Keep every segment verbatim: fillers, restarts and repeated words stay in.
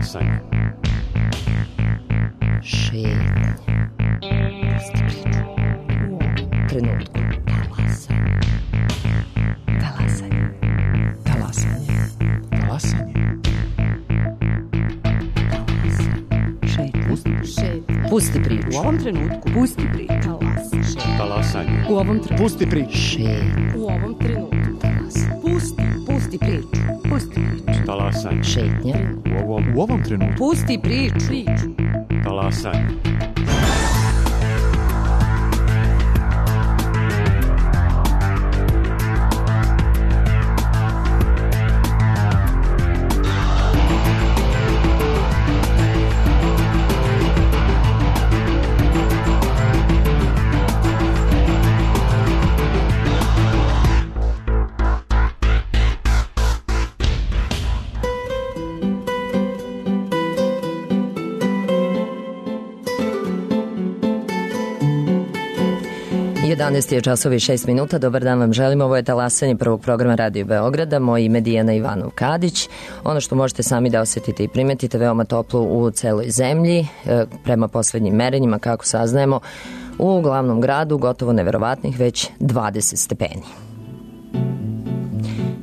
Talasanje. Šetnje. Pusti priču. U ovom trenutku. Talasanje. Talasanje. Talasanje. Talasanje. Šetnje. Pusti priču. U ovom trenutku. Pusti priču. Talasanje. U ovom trenutku. Pusti priču. Šetnje. U ovom trenutku. Pusti. Pusti priču. Pusti priču. Talasanje. Šetnja. U ovom, U ovom trenutku. Pusti priču. Priču. talasanje. jedanaest je časova i šest minuta. Dobar dan vam želim. Ovo je talasanje prvog programa Radio Beograda. Moje ime je Dijana Ivanov-Kadić. Ono što možete sami da osjetite i primetite, veoma toplo u celoj zemlji. Prema poslednjim merenjima, kako saznajemo, u glavnom gradu gotovo neverovatnih već dvadeset stepeni.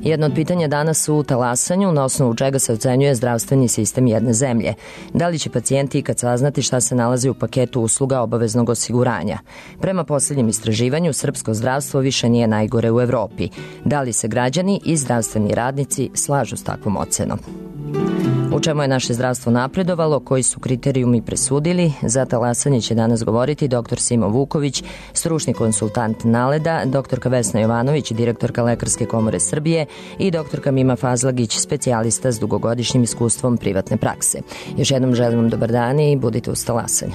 Jedno od pitanja danas u talasanju, na osnovu čega se ocenjuje zdravstveni sistem jedne zemlje. Da li će pacijenti ikad saznati šta se nalazi u paketu usluga obaveznog osiguranja? Prema posljednjem istraživanju, srpsko zdravstvo više nije najgore u Evropi. Da li se građani i zdravstveni radnici slažu s takvom ocenom? U čemu je naše zdravstvo napredovalo, koji su kriterijumi presudili? Za talasanje će danas govoriti doktor Simo Vuković, stručni konsultant Naleda, doktorka Vesna Jovanović, direktorka Lekarske komore Srbije i doktorka Mima Fazlagić, specijalista s dugogodišnjim iskustvom privatne prakse. Još jednom želim vam dobar dan i budite uz talasanje.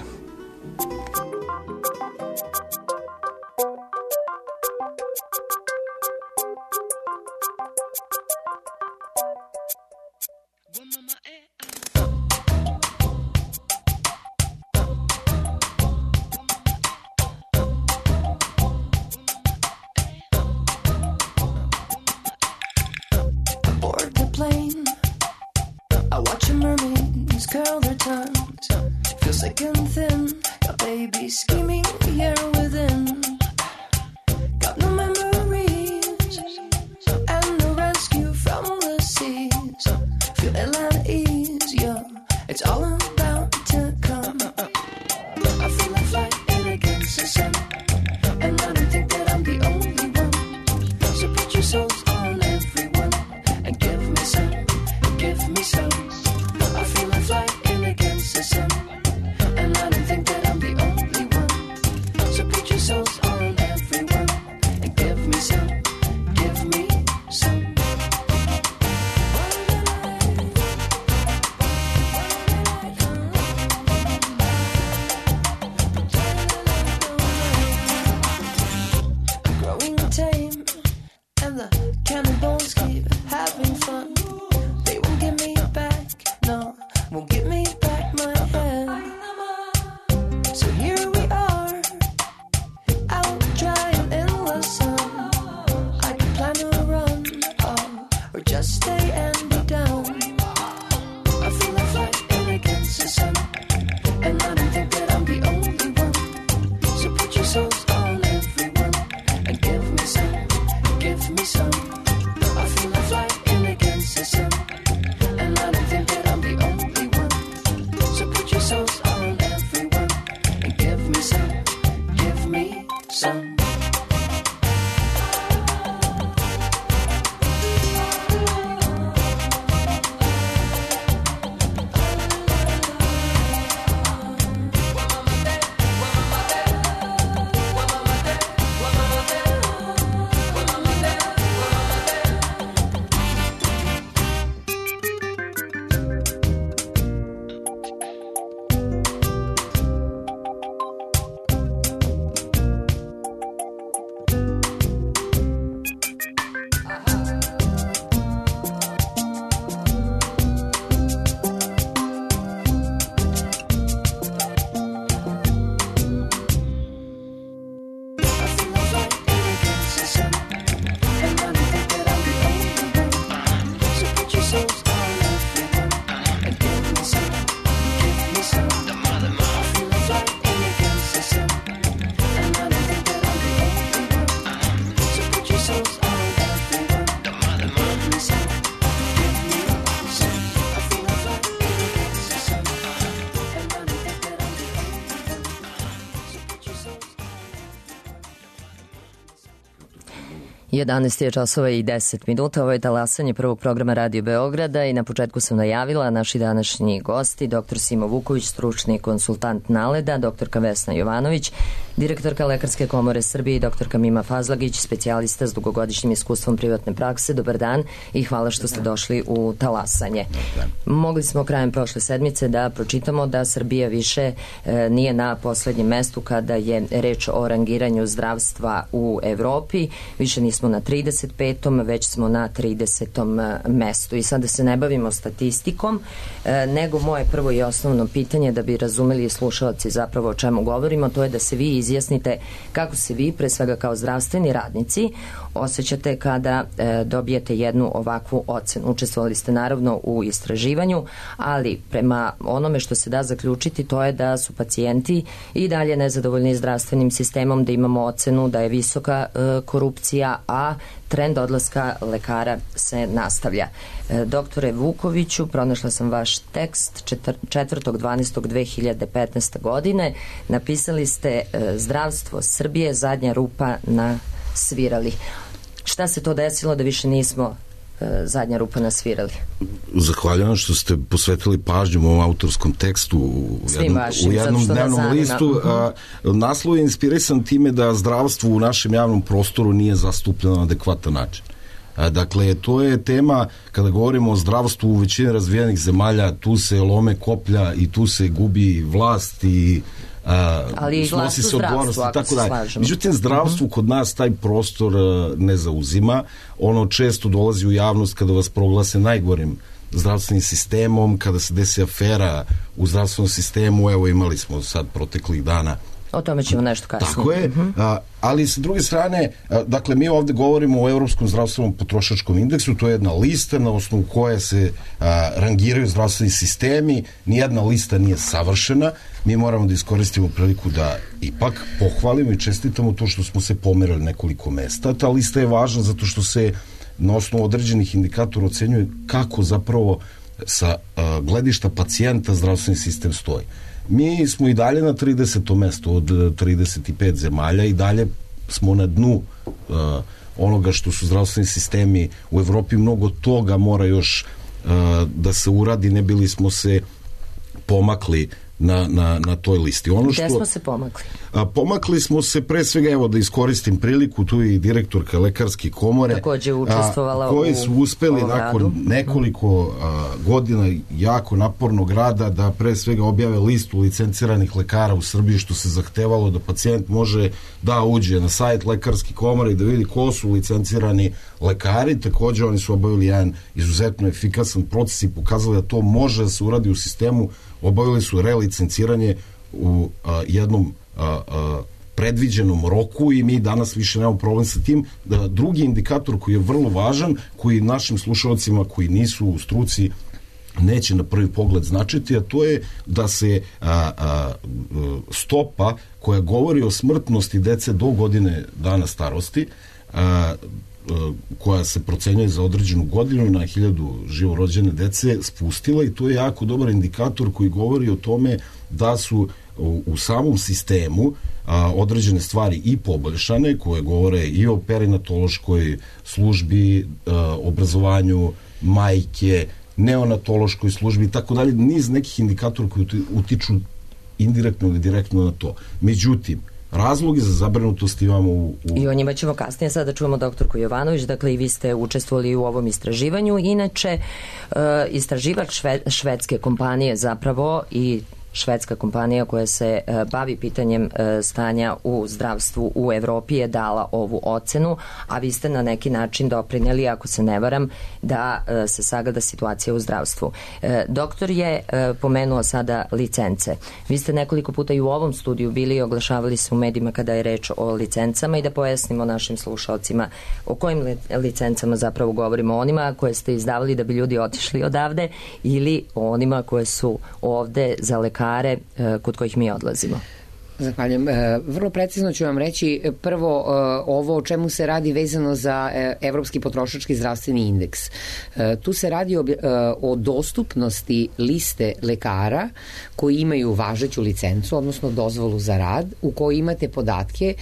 jedanaest je časova i deset minuta, ovo je talasanje prvog programa Radio Beograda i na početku sam najavila naši današnji gosti, doktor Simo Vuković, stručni konsultant Naleda, doktorka Vesna Jovanović, direktorka Lekarske komore Srbije i doktorka Mima Fazlagić, specijalista s dugogodišnjim iskustvom privatne prakse. Dobar dan i hvala što ste došli u talasanje. Mogli smo krajem prošle sedmice da pročitamo da Srbija više e, nije na poslednjem mestu kada je reč o rangiranju zdravstva u Evropi, više nismo na trideset petom već smo na tridesetom mestu. I sada se ne bavimo statistikom, e, nego moje prvo i osnovno pitanje da bi razumeli slušalci zapravo o čemu govorimo, to je da se vi izjasnite kako se vi, pre svega kao zdravstveni radnici, osjećate kada e, dobijete jednu ovakvu ocenu. Učestvovali ste naravno u istraživanju, ali prema onome što se da zaključiti, to je da su pacijenti i dalje nezadovoljni zdravstvenim sistemom, da imamo ocenu da je visoka e, korupcija, a trend odlaska lekara se nastavlja. E, doktore Vukoviću, pronašla sam vaš tekst četvrtog dvanaestog dve hiljade petnaeste. godine. Napisali ste e, zdravstvo Srbije, zadnja rupa na svirali. Šta se to desilo da više nismo e, zadnja rupa na svirali? Zahvaljujem što ste posvetili pažnju u ovom autorskom tekstu u jednom, vašim, u jednom dnevnom listu. A, naslov je inspirisan time da zdravstvo u našem javnom prostoru nije zastupljeno na adekvatan način. A, dakle, to je tema, kada govorimo o zdravstvu u većini razvijenih zemalja, tu se lome koplja i tu se gubi vlast i Uh, ali i snosi se odgovornost i tako dalje. Međutim, zdravstvo uh-huh. kod nas taj prostor uh, ne zauzima. Ono često dolazi u javnost kada vas proglase najgorim zdravstvenim sistemom, kada se desi afera u zdravstvenom sistemu. Evo, imali smo sad proteklih dana. O tome ćemo nešto kasnije. Tako je, uh-huh. a, ali sa druge strane, a, dakle, mi ovde govorimo o Evropskom zdravstvenom potrošačkom indeksu, to je jedna lista na osnovu koje se a, rangiraju zdravstveni sistemi, nijedna lista nije savršena, mi moramo da iskoristimo priliku da ipak pohvalimo i čestitamo to što smo se pomerali nekoliko mesta. Ta lista je važna zato što se na osnovu određenih indikatora ocenjuje kako zapravo sa a, gledišta pacijenta zdravstveni sistem stoji. Mi smo i dalje na tridesetom mestu od trideset pet zemalja i dalje smo na dnu uh, onoga što su zdravstveni sistemi u Evropi. Mnogo toga mora još uh, da se uradi, ne bili smo se pomakli na, na, na toj listi. Ono što, gde smo se pomakli? A, pomakli smo se pre svega, evo da iskoristim priliku, tu je i direktorka Lekarske komore. Takođe učestvovala a, koji su uspeli u nakon radu. nekoliko a, godina jako napornog rada da pre svega objave listu licenciranih lekara u Srbiji, što se zahtevalo da pacijent može da uđe na sajt Lekarske komore i da vidi ko su licencirani lekari. Takođe oni su obavili jedan izuzetno efikasan proces i pokazali da to može da se uradi u sistemu. Obavili su relicenciranje u a, jednom a, a, predviđenom roku i mi danas više nemamo problem sa tim. Da, drugi indikator koji je vrlo važan, koji našim slušalcima koji nisu u struci neće na prvi pogled značiti, a to je da se a, a, stopa koja govori o smrtnosti dece do godine dana starosti, a, koja se procenjuje za određenu godinu na hiljadu živorođene dece spustila i to je jako dobar indikator koji govori o tome da su u, u samom sistemu a, određene stvari i poboljšane, koje govore i o perinatološkoj službi, a, obrazovanju majke, neonatološkoj službi i tako dalje, niz nekih indikatora koji utiču indirektno ili direktno na to. Međutim, razlogi za zabrinutost imamo u, u... I o njima ćemo kasnije. Sada čujemo doktorku Jovanović, dakle i vi ste učestvovali u ovom istraživanju. Inače, e, istraživač šve, švedske kompanije zapravo i švedska kompanija koja se e, bavi pitanjem e, stanja u zdravstvu u Evropi je dala ovu ocenu, a vi ste na neki način doprineli, ako se ne varam, da e, se sagleda situacija u zdravstvu. E, doktor je e, pomenuo sada licence. Vi ste nekoliko puta i u ovom studiju bili i oglašavali se u medijima kada je reč o licencama i da pojasnimo našim slušalcima o kojim li, licencama zapravo govorimo, onima koje ste izdavali da bi ljudi otišli odavde ili onima koje su ovde za lekare kod kojih mi odlazimo. Zahvaljujem. Vrlo precizno ću vam reći prvo ovo o čemu se radi vezano za Evropski potrošački zdravstveni indeks. Tu se radi o, o dostupnosti liste lekara koji imaju važeću licencu, odnosno dozvolu za rad, u kojoj imate podatke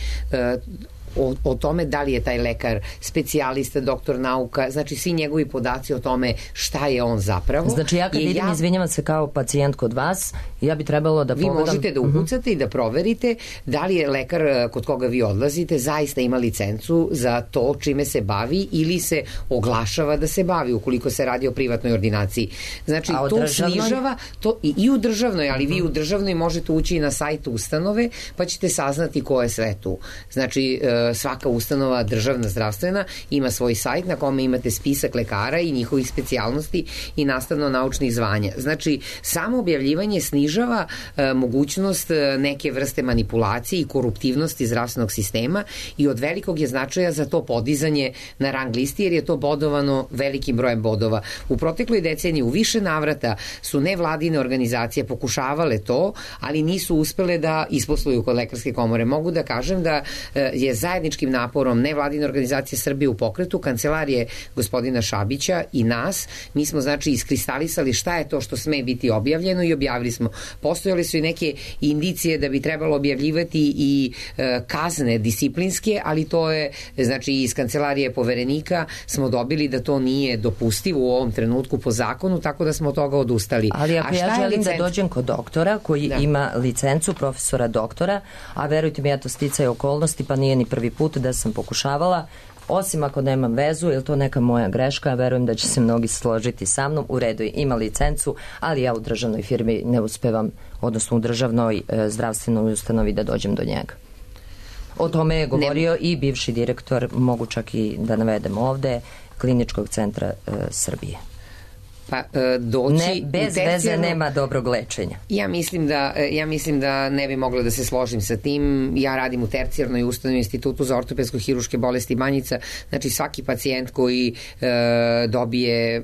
O, o tome da li je taj lekar specijalista, doktor nauka, znači svi njegovi podaci o tome šta je on zapravo. Znači ja kad I idem, ja, izvinjavam se kao pacijent kod vas, ja bi trebalo da vi pogledam... Vi možete da ukucate uh-huh. i da proverite da li je lekar kod koga vi odlazite zaista ima licencu za to čime se bavi ili se oglašava da se bavi ukoliko se radi o privatnoj ordinaciji. Znači to državnoj? Snižava to i, i u državnoj, ali uh-huh. vi u državnoj možete ući na sajt ustanove pa ćete saznati ko je sve tu. Znači svaka ustanova državna zdravstvena ima svoj sajt na kome imate spisak lekara i njihovih specijalnosti i nastavno-naučnih zvanja. Znači, samo objavljivanje snižava e, mogućnost neke vrste manipulacije i koruptivnosti zdravstvenog sistema i od velikog je značaja za to podizanje na rang listi jer je to bodovano velikim brojem bodova. U protekloj deceniji u više navrata su nevladine organizacije pokušavale to, ali nisu uspele da isposluju kod Lekarske komore. Mogu da kažem da e, je zajedno zajedničkim naporom nevladine organizacije Srbije u pokretu, kancelarije gospodina Šabića i nas, mi smo znači iskristalisali šta je to što sme biti objavljeno i objavili smo. Postojale su i neke indicije da bi trebalo objavljivati i e, kazne disciplinske, ali to je, znači iz kancelarije poverenika smo dobili da to nije dopustivo u ovom trenutku po zakonu, tako da smo od toga odustali. Ali ako ja želim da dođem kod doktora koji da. ima licencu profesora doktora, a verujte mi, ja to sticaj okolnosti, pa nije ni prvi put da sam pokušavala, osim ako nemam vezu, je to neka moja greška, ja verujem da će se mnogi složiti sa mnom, u redu ima licencu, ali ja u državnoj firmi ne uspevam, odnosno u državnoj e, zdravstvenoj ustanovi da dođem do njega. O tome je govorio ne. i bivši direktor, mogu čak i da navedem ovde, Kliničkog centra e, Srbije. Pa doći ne, bez veze nema dobrog lečenja. Ja mislim da ja mislim da ne bi mogla da se složim sa tim. Ja radim u tercijarnoj ustanovi Institutu za ortopedsko-hiruške bolesti Banjica. Znači svaki pacijent koji e, dobije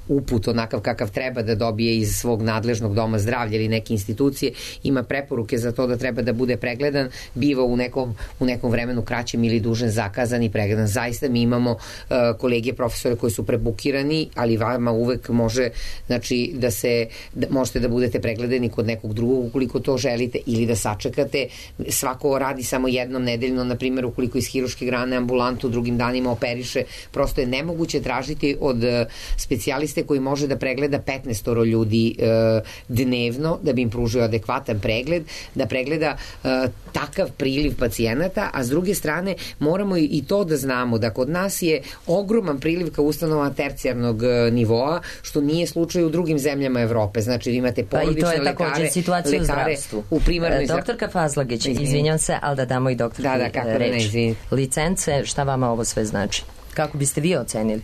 uput onakav kakav treba da dobije iz svog nadležnog doma zdravlja ili neke institucije, ima preporuke za to da treba da bude pregledan, biva u nekom, u nekom vremenu kraćem ili dužem zakazan i pregledan. Zaista mi imamo uh, kolege profesore koji su prebukirani, ali vama uvek može, znači da se da, možete da budete pregledani kod nekog drugog ukoliko to želite ili da sačekate. Svako radi samo jednom nedeljno, na primjer ukoliko iz hiruške grane ambulantu drugim danima operiše, prosto je nemoguće tražiti od uh, specijaliste koji može da pregleda petnaest ljudi e, dnevno, da bi im pružio adekvatan pregled, da pregleda e, takav priliv pacijenata, a s druge strane moramo i to da znamo da kod nas je ogroman priliv ka ustanova tercijarnog nivoa, što nije slučaj u drugim zemljama Evrope. Znači vi imate porodične lekare, lekare, pa i to je također situacija u zdravstvu. U primarnoj zdravstvu. Doktorka Fazlagić, izvinjam se, ali da damo i doktorki da, da, kako reč. Ne, licence, šta vama ovo sve znači? Kako biste vi ocenili?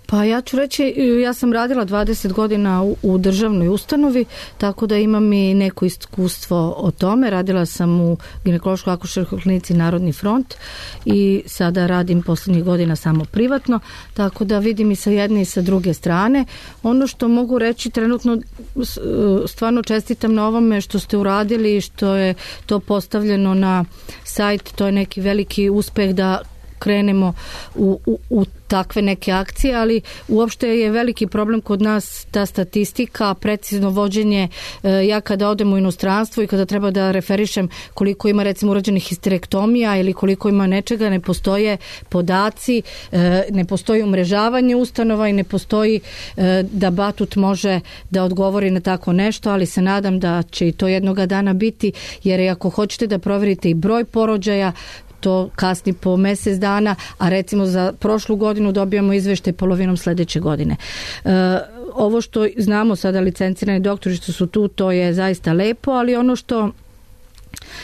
Pa ja ću reći, ja sam radila dvadeset godina u, u državnoj ustanovi, tako da imam i neko iskustvo o tome. Radila sam u ginekološko-akušerskoj klinici Narodni front i sada radim poslednjih godina samo privatno, tako da vidim i sa jedne i sa druge strane. Ono što mogu reći trenutno, stvarno čestitam na ovome što ste uradili i što je to postavljeno na sajt, to je neki veliki uspeh da krenemo u, u, u takve neke akcije, ali uopšte je veliki problem kod nas ta statistika, precizno vođenje. Ja kada odem u inostranstvo i kada treba da referišem koliko ima recimo urađenih histerektomija ili koliko ima nečega, ne postoje podaci, ne postoji umrežavanje ustanova i ne postoji da Batut može da odgovori na tako nešto, ali se nadam da će i to jednoga dana biti, jer ako hoćete da proverite i broj porođaja, to kasni po mesec dana, a recimo za prošlu godinu dobijamo izveštaj polovinom sledeće godine. E, ovo što znamo sada licencirani doktori što su tu, to je zaista lepo, ali ono što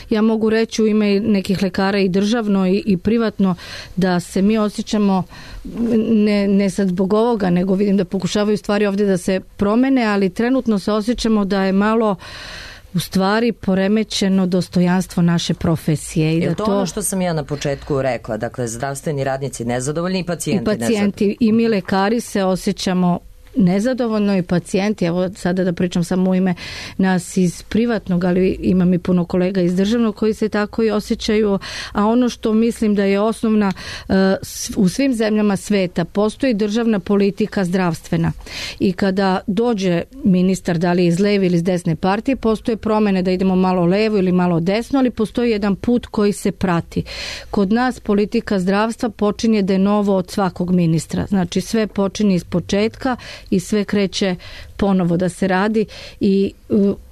ja mogu reći u ime nekih lekara i državno i, i privatno, da se mi osjećamo ne, ne sad zbog ovoga, nego vidim da pokušavaju stvari ovdje da se promene, ali trenutno se osjećamo da je malo u stvari poremećeno dostojanstvo naše profesije. I je da to, to ono što sam ja na početku rekla, dakle zdravstveni radnici nezadovoljni i pacijenti nezadovoljni. I pacijenti i mi lekari se osjećamo nezadovoljno i pacijenti, evo sada da pričam samo u ime nas iz privatnog, ali imam i puno kolega iz državnog koji se tako i osjećaju, a ono što mislim da je osnovna u svim zemljama sveta, postoji državna politika zdravstvena i kada dođe ministar, da li iz leve ili iz desne partije, postoje promene da idemo malo levo ili malo desno, ali postoji jedan put koji se prati. Kod nas politika zdravstva počinje de novo od svakog ministra. Znači sve počinje iz početka i sve kreće ponovo da se radi, i,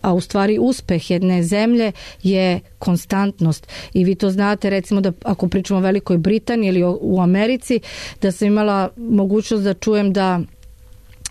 a u stvari uspeh jedne zemlje je konstantnost. I vi to znate, recimo da ako pričamo o Velikoj Britaniji ili o, u Americi, da sam imala mogućnost da čujem da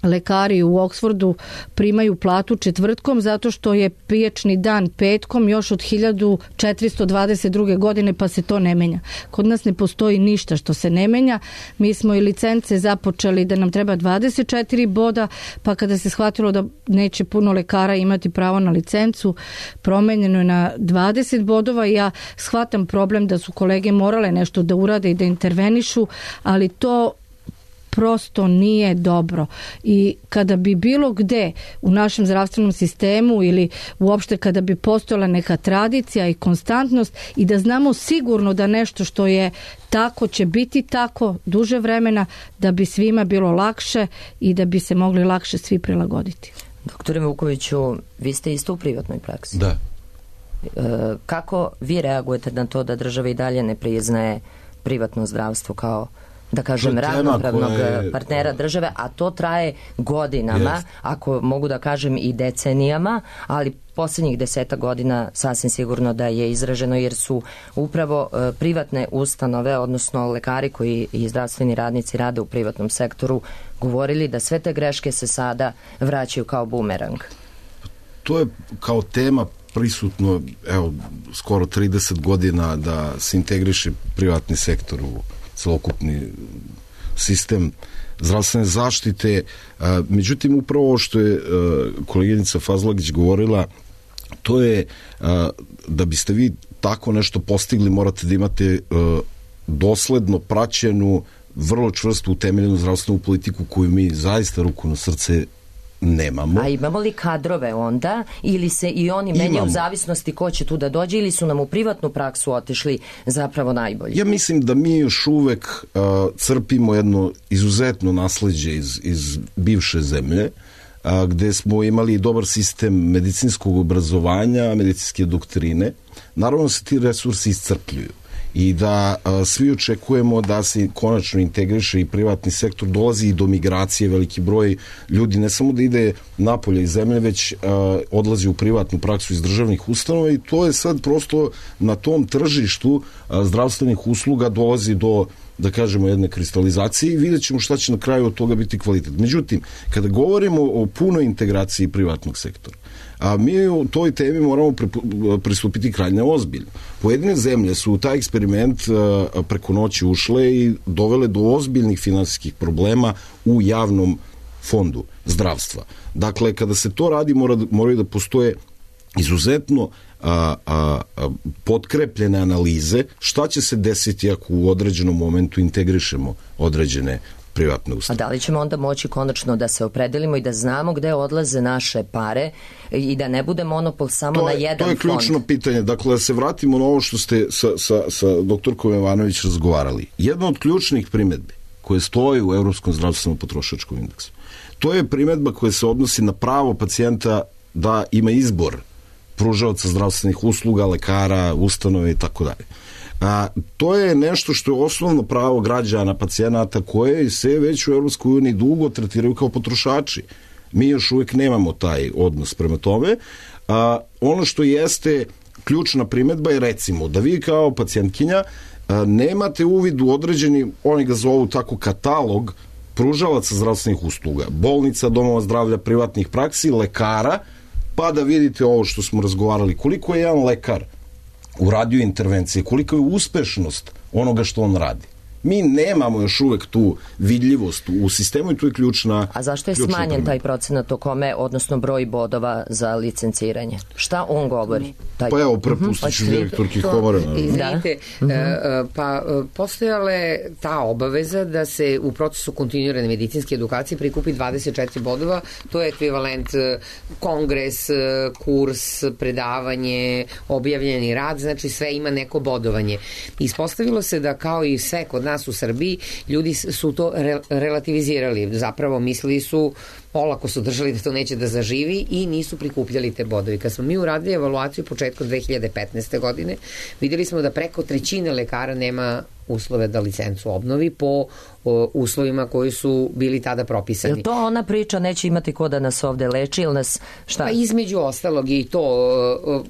lekari u Oksfordu primaju platu četvrtkom zato što je pijačni dan petkom još od hiljadu četiristo dvadeset druge godine, pa se to ne menja. Kod nas ne postoji ništa što se ne menja. Mi smo i licence započeli da nam treba dvadeset četiri boda, pa kada se shvatilo da neće puno lekara imati pravo na licencu, promenjeno je na dvadeset bodova i ja shvatam problem da su kolege morale nešto da urade i da intervenišu, ali to prosto nije dobro. I kada bi bilo gde u našem zdravstvenom sistemu ili uopšte kada bi postojala neka tradicija i konstantnost i da znamo sigurno da nešto što je tako će biti tako duže vremena, da bi svima bilo lakše i da bi se mogli lakše svi prilagoditi. Doktore Vukoviću, vi ste isto u privatnoj praksi. Da. E, kako vi reagujete na to da država i dalje ne priznaje privatno zdravstvo kao, da kažem, ravnopravnog je partnera države, a to traje godinama, jest. Ako mogu da kažem i decenijama, ali posljednjih deseta godina sasvim sigurno da je izraženo, jer su upravo e, privatne ustanove, odnosno lekari koji i zdravstveni radnici rade u privatnom sektoru, govorili da sve te greške se sada vraćaju kao bumerang. To je kao tema prisutno, evo, skoro trideset godina da se integriše privatni sektor u celokupni sistem zdravstvene zaštite. Međutim, upravo ovo što je koleginica Fazlagić govorila, to je da biste vi tako nešto postigli, morate da imate dosledno praćenu, vrlo čvrsto utemeljenu zdravstvenu politiku koju mi zaista, ruku na srce, nemamo. A imamo li kadrove onda, ili se i oni menjaju u zavisnosti ko će tu da dođe, ili su nam u privatnu praksu otišli zapravo najbolji? Ja mislim da mi još uvek uh, crpimo jedno izuzetno nasleđe iz, iz bivše zemlje, uh, gde smo imali dobar sistem medicinskog obrazovanja, medicinske doktrine. Naravno se ti resursi iscrpljuju i da a, svi očekujemo da se konačno integriše i privatni sektor, dolazi i do migracije, veliki broj ljudi ne samo da ide napolje iz zemlje, već a, odlazi u privatnu praksu iz državnih ustanova, i to je sad prosto na tom tržištu a, zdravstvenih usluga dolazi do, da kažemo, jedne kristalizacije i vidjet ćemo šta će na kraju od toga biti kvalitet. Međutim, kada govorimo o punoj integraciji privatnog sektora, a mi u toj temi moramo pristupiti krajnje ozbiljno. Pojedine zemlje su u taj eksperiment preko noći ušle i dovele do ozbiljnih finansijskih problema u javnom fondu zdravstva. Dakle, kada se to radi, mora, moraju da postoje izuzetno a, a, a, potkrepljene analize šta će se desiti ako u određenom momentu integrišemo određene privatne ustanove. A da li ćemo onda moći konačno da se opredelimo i da znamo gde odlaze naše pare i da ne bude monopol samo to je, na jedan fond? To je ključno fond. pitanje. Dakle, da se vratimo na ovo što ste sa, sa, sa doktorkom Jovanović razgovarali. Jedna od ključnih primedbi koje stoji u Evropskom zdravstvenom potrošačkom indeksu, to je primedba koja se odnosi na pravo pacijenta da ima izbor pružaoca zdravstvenih usluga, lekara, ustanove i tako dalje. A, to je nešto što je osnovno pravo građana, pacijenata, koje se već u Evropskoj uniji dugo tretiraju kao potrošači. Mi još uvijek nemamo taj odnos prema tome. A, ono što jeste ključna primedba je, recimo, da vi kao pacijentkinja a, nemate uvid u određeni, oni ga zovu tako, katalog pružalaca zdravstvenih usluga, bolnica, domova zdravlja, privatnih praksi, lekara, pa da vidite ovo što smo razgovarali, koliko je jedan lekar uradio intervencije, koliko je uspešnost onoga što on radi. Mi nemamo još uvek tu vidljivost u sistemu i tu je ključna. A zašto je smanjen promjena. Taj procenat o kome, odnosno broj bodova za licenciranje? Šta on govori? Taj... Pa evo, prepustit ću direktorki komore. Izvinite, da. Pa postojale ta obaveza da se u procesu kontinuirane medicinske edukacije prikupi dvadeset četiri bodova, to je ekvivalent kongres, kurs, predavanje, objavljeni rad, znači sve ima neko bodovanje. Ispostavilo se da kao i sve kod nas u Srbiji, ljudi su to re, relativizirali. Zapravo mislili su, olako su držali da to neće da zaživi i nisu prikupljali te bodovi. Kad smo mi uradili evaluaciju početkom dve hiljade petnaeste. godine, videli smo da preko trećine lekara nema uslove da licencu obnovi po o, uslovima koji su bili tada propisani. Je to ona priča neće imati ko da nas ovde leči ili nas šta? Pa između ostalog i to o,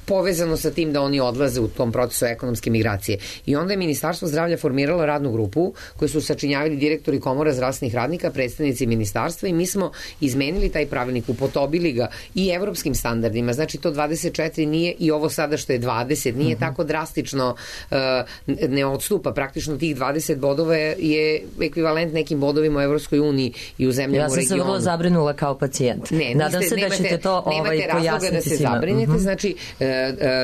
povezano sa tim da oni odlaze u tom procesu ekonomske migracije. I onda je Ministarstvo zdravlja formiralo radnu grupu koju su sačinjavali direktori komora zdravstvenih radnika, predstavnici ministarstva i mi smo izmenili taj pravilnik, upodobili ga i evropskim standardima. Znači to dvadeset četiri nije i ovo sada što je dvadeset, nije uh-huh. tako drastično, uh, ne odstupa. Praktično tih dvadeset bodova je ekvivalent nekim bodovima u Evropskoj uniji i u zemljama ja u regionu. Ja sam se vrlo zabrinula kao pacijent. Ne, nadam niste, se nemate, da ćete to ovaj, pojasniti da se svima. zabrinete, uh-huh. znači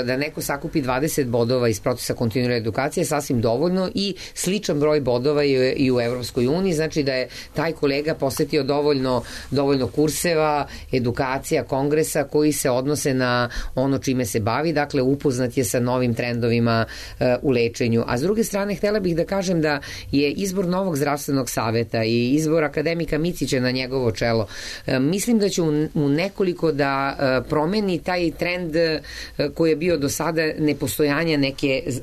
da neko sakupi dvadeset bodova iz procesa kontinuirane edukacije sasvim dovoljno i sličan broj bodova je i u Evropskoj uniji, znači da je taj kolega posetio dovoljno, dovoljno kurseva, edukacija, kongresa koji se odnose na ono čime se bavi, dakle upoznat je sa novim trendovima uh, u lečenju. A s druge strane, htela bih da kažem da je izbor novog zdravstvenog saveta i izbor akademika Micića na njegovo čelo, uh, mislim da će u, u nekoliko da uh, promeni taj trend uh, koji je bio do sada nepostojanja neke uh,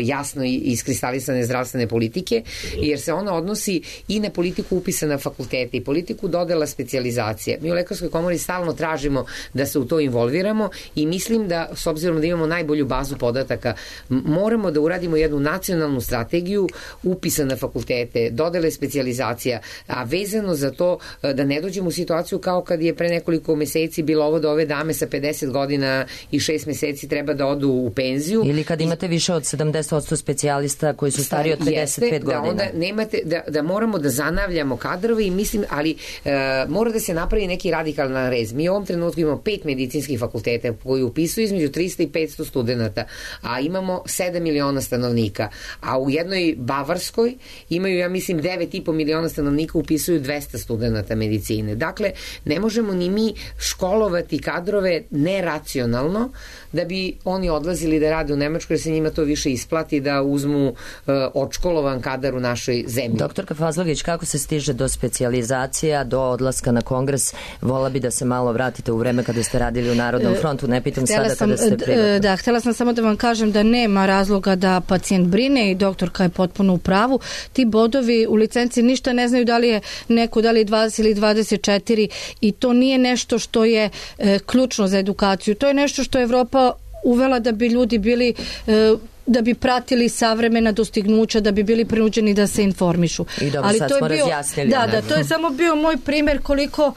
jasno iskristalisane zdravstvene politike, jer se ona odnosi i na politiku upisa na fakultete i politiku dodela specijalizacije. Mi u Lekarskoj komori stalno tražimo da se u to involviramo i mislim da, s obzirom da imamo najbolju bazu podataka, moramo da uradimo jednu nacionalnu strategiju upisa na fakultete, dodele specijalizacija, a vezano za to da ne dođemo u situaciju kao kad je pre nekoliko meseci bilo ovo da ove dame sa pedeset godina i šest meseci treba da odu u penziju. Ili kad imate više od sedamdeset posto specijalista koji su stari od pedeset pet godina. Da onda nemate, da, da moramo da zanavljamo kadrove i mislim, ali e, mora da se napravi neki radikalan rez. Mi u ovom trenutku imamo pet medicinskih fakulteta koji upisuju između trista i petsto studenta, a imamo sedam miliona stanovnika. A u jednoj Bavarskoj imaju, ja mislim, devet i po miliona stanovnika, upisuju dvesta studenta medicine. Dakle, ne možemo ni mi školovati kadrove neracionalno da bi oni odlazili da rade u Nemačkoj, jer se njima to više isplati da uzmu uh, odškolovan kadar u našoj zemlji. Doktorka Fazlagić, kako se stiže do specijalizacija, do odlaska na kongres? Vola bi da se malo vratite u vreme kada ste radili u Narodnom frontu, ne pitam htjela sada sam, kada ste privatno. Da, htjela sam samo da vam kažem da nema razloga da pacijent brine i doktorka je potpuno u pravu. Ti bodovi u licenci ništa ne znaju da li je neko, da li je dvadeset ili dvadeset četiri i to nije nešto što je e, ključno za edukaciju. To je nešto što je Evropa uvela da bi ljudi bili e, da bi pratili savremena dostignuća, da bi bili prinuđeni da se informišu. I dobro, ali sad to smo je bio, razjasnili. Da, da, to je samo bio moj primjer koliko,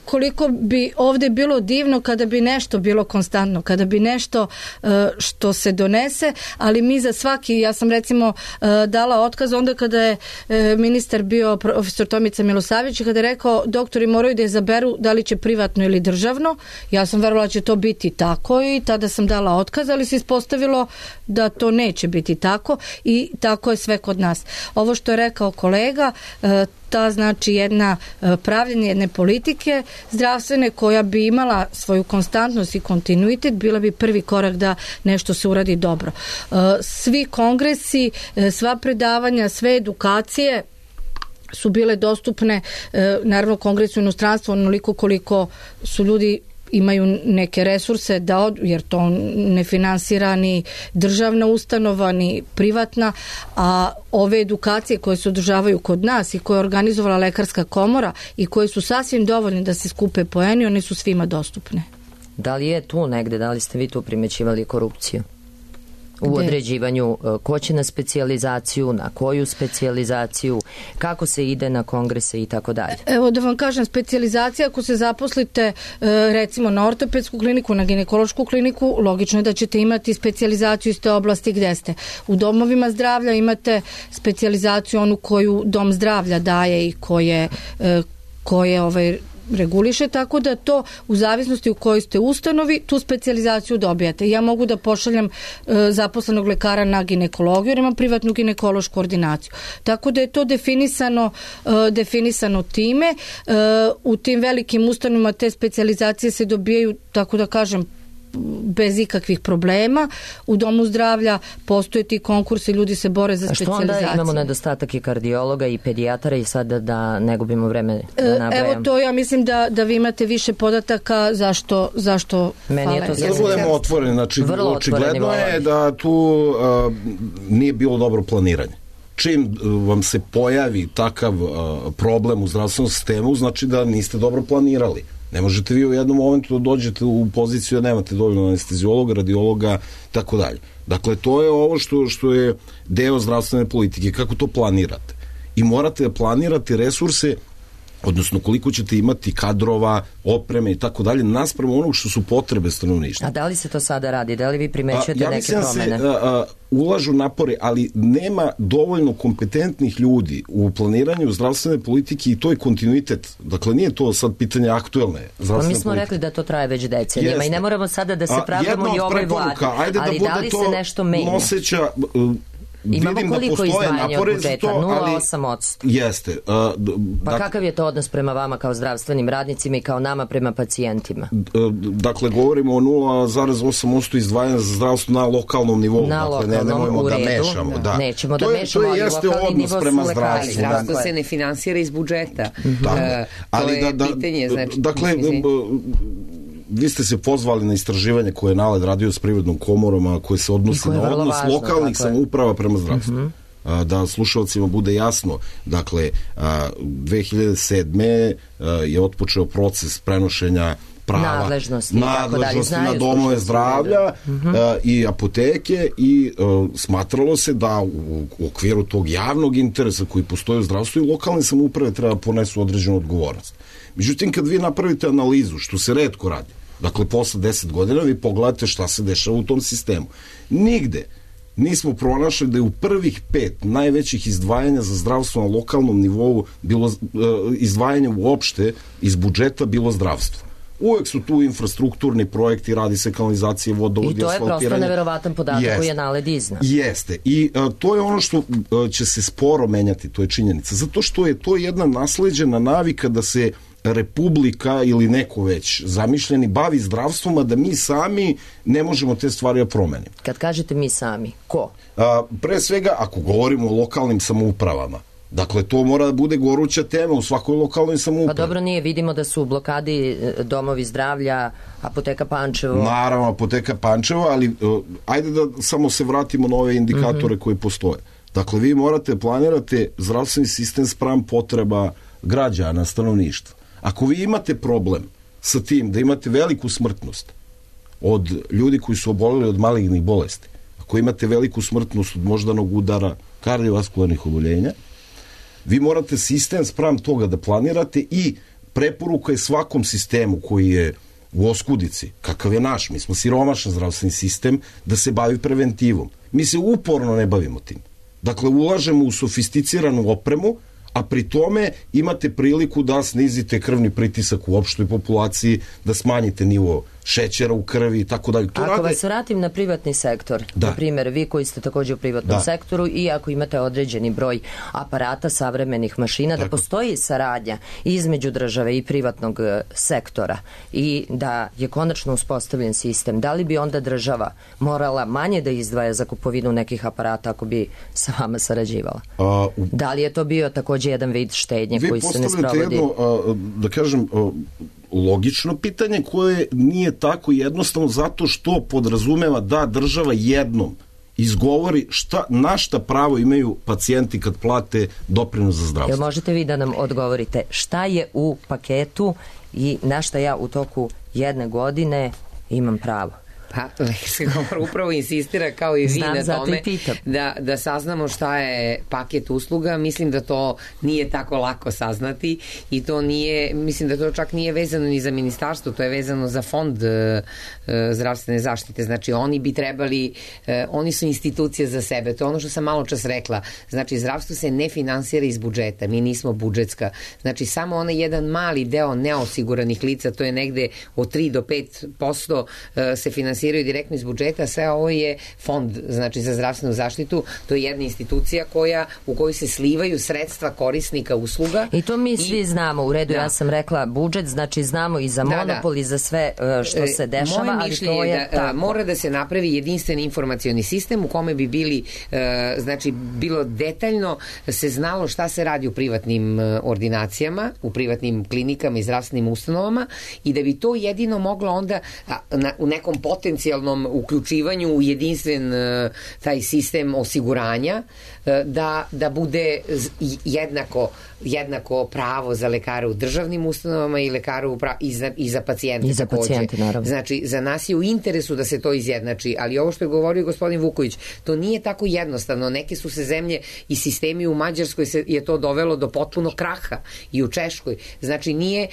koliko bi ovde bilo divno kada bi nešto bilo konstantno, kada bi nešto što se donese, ali mi za svaki, ja sam recimo dala otkaz onda kada je ministar bio profesor Tomica Milosavljević, kada je rekao doktori moraju da izaberu da li će privatno ili državno. Ja sam verovala da će to biti tako i tada sam dala otkaz, ali se ispostavilo da to neće biti tako i tako je sve kod nas. Ovo što je rekao kolega, ta znači jedna pravljenje jedne politike zdravstvene koja bi imala svoju konstantnost i kontinuitet, bila bi prvi korak da nešto se uradi dobro. Svi kongresi, sva predavanja, sve edukacije su bile dostupne, naravno kongresu u inostranstvu onoliko koliko su ljudi imaju neke resurse da od, jer to ne finansira ni državna ustanova ni privatna, a ove edukacije koje se održavaju kod nas i koje je organizovala Lekarska komora i koje su sasvim dovoljne da se skupe poeni, one su svima dostupne. Da li je tu negde, da li ste vi tu primećivali korupciju? u određivanju ko će na specijalizaciju, na koju specijalizaciju, kako se ide na kongrese i tako dalje. Evo da vam kažem, specijalizacija, ako se zaposlite recimo na ortopedsku kliniku, na ginekološku kliniku, logično je da ćete imati specijalizaciju iz te oblasti gde ste. U domovima zdravlja imate specijalizaciju onu koju dom zdravlja daje i koje, koje ovaj, reguliše, tako da to u zavisnosti u kojoj ste ustanovi, tu specijalizaciju dobijate. Ja mogu da pošaljem e, zaposlenog lekara na ginekologiju, jer imam privatnu ginekološku ordinaciju. Tako da je to definisano, e, definisano time. E, u tim velikim ustanovima te specijalizacije se dobijaju, tako da kažem, bez ikakvih problema. U domu zdravlja postoje ti konkursi, ljudi se bore za specijalizaciju. A što onda imamo nedostatak i kardiologa i pedijatara i sada da ne gubimo vreme da nabrajam? Evo to ja mislim da, da vi imate više podataka zašto, zašto Meni je to fale. Da budemo otvoreni, znači očigledno je da tu uh, nije bilo dobro planiranje. Čim vam se pojavi takav uh, problem u zdravstvenom sistemu, znači da niste dobro planirali. Ne možete vi u jednom momentu da dođete u poziciju da nemate dovoljno anesteziologa, radiologa, tako dalje. Dakle, to je ovo što, što je deo zdravstvene politike, kako to planirate. I morate da planirate resurse, odnosno koliko ćete imati kadrova, opreme i tako dalje, naspram onog što su potrebe stanovništva. A da li se to sada radi? Da li vi primećujete ja neke promene? Ja mislim da se a, a, ulažu napore, ali nema dovoljno kompetentnih ljudi u planiranju zdravstvene politike i to je kontinuitet. Dakle, nije to sad pitanje aktuelne zdravstvene pa mi smo politike. Rekli da to traje već decenijama. Jeste. I ne moramo sada da se pravdamo i ovoj vladi. Ajde ali da, da li se nešto menja? Noseća, imamo vidim koliko da izdvajanja od budžeta? nula zarez osam posto. Jeste. Uh, pa dak, kakav je to odnos prema vama kao zdravstvenim radnicima i kao nama prema pacijentima? Uh, dakle, govorimo o nula zarez osam posto izdvajanja za zdravstvo na lokalnom nivou. Na dakle, lokalnom, ne, nemojmo u redu. Da mešamo. Da. Nećemo to da je, mešamo, to je, ali jeste lokalni odnos nivo prema su lekari. zdravstvu. Zdravstvo se ne finansira iz budžeta. Mm-hmm. Uh, to je da, da, pitanje. Znači, dakle, vi ste se pozvali na istraživanje koje je NALED radio s Privrednom komorom, a koje se odnosi na odnos važno, lokalnih samouprava prema zdravstvu. Mm-hmm. Da slušalcima bude jasno, dakle dve hiljade sedme je otpočeo proces prenošenja prava nadležnosti, nadležnosti na domove zdravlja uh-huh. uh, i apoteke i uh, smatralo se da u, u okviru tog javnog interesa koji postoji u zdravstvu i lokalne samouprave treba ponesu određenu odgovornost. Međutim, kad vi napravite analizu, što se retko radi, dakle posle deset godina vi pogledate šta se dešava u tom sistemu. Nigde nismo pronašli da je u prvih pet najvećih izdvajanja za zdravstvo na lokalnom nivou bilo izdvajanje uopšte iz budžeta bilo zdravstvo. Uvek su tu infrastrukturni projekti, radi se kanalizacije, vodovodi, asfaltiranje. I to je prosto neverovatan podatak Jest. koji je NALED iznao. Jeste. I a, to je ono što a, će se sporo menjati, to je činjenica. Zato što je to jedna nasleđena navika da se Republika ili neko već zamišljeni bavi zdravstvom, a da mi sami ne možemo te stvari da promenimo. Kad kažete mi sami, ko? A, pre svega, ako govorimo o lokalnim samoupravama, dakle, to mora da bude goruća tema u svakoj lokalnoj samoupravi. Pa dobro, nije, vidimo da su u blokadi domovi zdravlja, apoteka Pančevo. Naravno, apoteka Pančevo, ali uh, ajde da samo se vratimo na ove indikatore mm-hmm. koji postoje. Dakle, vi morate planirate zdravstveni sistem spram potreba građana, stanovništva. Ako vi imate problem sa tim da imate veliku smrtnost od ljudi koji su oboleli od malignih bolesti, ako imate veliku smrtnost od moždanog udara, kardiovaskularnih oboljenja, vi morate sistem spram toga da planirate i preporuka je svakom sistemu koji je u oskudici, kakav je naš, mi smo siromašan zdravstveni sistem, da se bavi preventivom. Mi se uporno ne bavimo tim. Dakle, ulažemo u sofisticiranu opremu, a pri tome imate priliku da snizite krvni pritisak u opštoj populaciji, da smanjite nivo šećera u krvi i tako dalje. Ako rade... vas vratim na privatni sektor, da. Na primjer, vi koji ste također u privatnom da. sektoru i ako imate određeni broj aparata, savremenih mašina, tako. Da postoji saradnja između države i privatnog sektora i da je konačno uspostavljen sistem, da li bi onda država morala manje da izdvaja za kupovinu nekih aparata ako bi sa vama sarađivala? A, u... Da li je to bio također jedan vid štednje vi koji se ne sprovodi? Vi postavljate jedno, a, da kažem, a, logično pitanje koje nije tako jednostavno zato što podrazumeva da država jednom izgovori šta, na šta pravo imaju pacijenti kad plate doprinos za zdravstvo. Jel možete vi da nam odgovorite šta je u paketu i na šta ja u toku jedne godine imam pravo? Pa, Lekarska komora upravo insistira kao i vi Znam, na tome i da, da saznamo šta je paket usluga. Mislim da to nije tako lako saznati i to nije, mislim da to čak nije vezano ni za ministarstvo, to je vezano za fond e, zdravstvene zaštite. Znači oni bi trebali, e, oni su institucije za sebe. To je ono što sam malo čas rekla. Znači zdravstvo se ne finansira iz budžeta, mi nismo budžetska. Znači samo onaj jedan mali deo neosiguranih lica, to je negde od tri do pet posto e, se finansira direktno iz budžeta, sve ovo je fond, znači za zdravstvenu zaštitu, to je jedna institucija koja, u kojoj se slivaju sredstva korisnika usluga. I to mi i, svi znamo, u redu, da. Ja sam rekla budžet, znači znamo i za da, monopol da. i za sve što se dešava, Moje ali mišljenje to je je da tako. Mora da se napravi jedinstven informacioni sistem u kome bi bili, znači bilo detaljno se znalo šta se radi u privatnim ordinacijama, u privatnim klinikama i zdravstvenim ustanovama i da bi to jedino moglo onda u nekom potencijalnom uključivanju u jedinstven taj sistem osiguranja da, da bude jednako, jednako pravo za lekare u državnim ustanovama i lekare u pra... i, za, i za pacijente. I za takođe. pacijente, naravno. Znači, za nas je u interesu da se to izjednači, ali ovo što je govorio gospodin Vuković, to nije tako jednostavno. Neke su se zemlje i sistemi u Mađarskoj se je to dovelo do potpuno kraha i u Češkoj. Znači, nije,